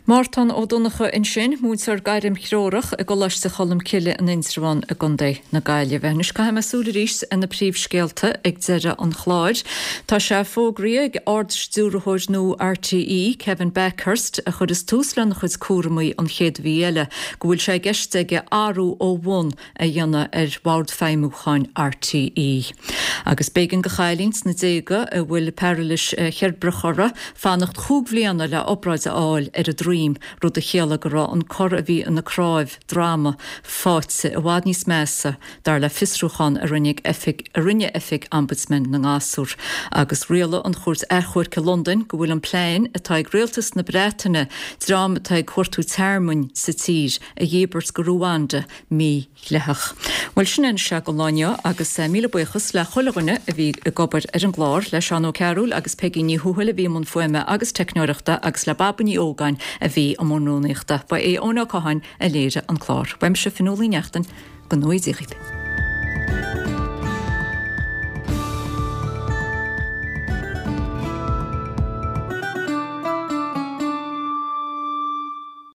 Mártán Ó Donnchadha ansin, múinteoir gairmthreorach i gColáiste Cholmcille in Indreabhán i gContae na Gaillimhe. Anois caithfidh mé súil arís ar na príomhscéalta ag deireadh an chláir. Tá sé fógraithe ag Ard-Stiúrthóir nua RTÉ, Kevin Bakhurst, a chuirfeas tús lena chuid cúramaí an chéad mhí eile, go bhfuil sé i gceist aige athrú ó bhun a dhéanamh ar Bhord Feidhmiúcháin RTÉ. Agus b'éigean do chailín sna déaga a bhfuil pairilis cheirbreach uirthi fanacht chúig bhliana le obráid a fháil ar a droim, rud a chiallaigh go raibh an cor a bhí ina cnáimh droma faighte i bhfad níos measa, dar le fiosrúchán a rinne oifig a rinne Oifig Ombudsman na nGasúr. Agus rialaigh an Chúirt Achomhairc i Londain go bhfuil an plean atá ag rialtas na Breataine dream atá ag cuartú tearmainn sa tír a dhíbirt go Ruanda mídhleathach. Bhuel, sin é anois don lá inniu agus míle buíochas le chuile dhuine a bhí ag obair ar an gclár, le Seán Ó Cearúil agus Peigí Ní Thuathail a bhí i mbun fuaime agus teicneoireachta agus le Baba Ní Ógáin a bhí i mbun rúnaíochta. Ba é Eoin Ó Catháin a léirigh an clár. Uaimse Fionnuala Ní Neachtain, go ngnóthaí Dia dhaoibh.